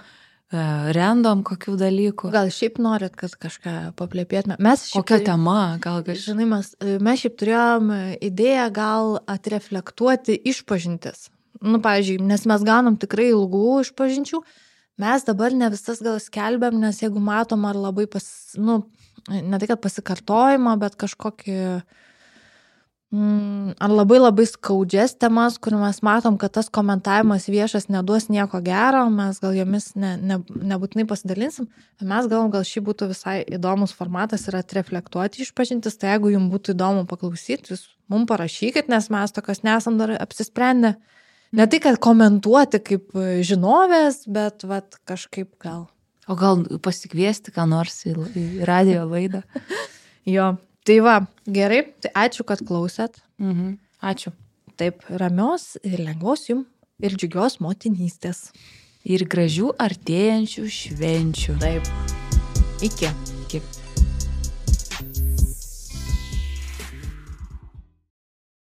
random kokių dalykų. Gal šiaip norit, kad kažką paplėpėtume. Mes šiaip, kokia tema, gal kažkaip. Žinai, mes, mes šiaip turėjom idėją gal atreflektuoti išpažintis. Nu, pavyzdžiui, nes mes gaunam tikrai ilgų išpažinčių, mes dabar ne visas gal skelbiam, nes jeigu matom, ar labai pas, nu, ne tai, kad pasikartojimą, bet kažkokį mm, ar labai labai skaudžias temas, kur mes matom, kad tas komentavimas viešas neduos nieko gero, mes gal jomis ne, ne, nebūtinai pasidalinsim, mes galvom, gal šį būtų visai įdomus formatas ir atreflektuoti išpažintis, tai jeigu jums būtų įdomu paklausyti, jūs mums parašykit, nes mes tokios nesam dar apsisprendę. Ne tai, kad komentuoti kaip žinovės, bet vat, kažkaip gal. O gal pasikviesti ką nors į, į radio laidą. Jo. Tai va, gerai, tai ačiū, kad klausėt. Mhm. Ačiū. Taip, ramios ir lengvos jums ir džiugios motinystės. Ir gražių artėjančių švenčių. Taip. Iki.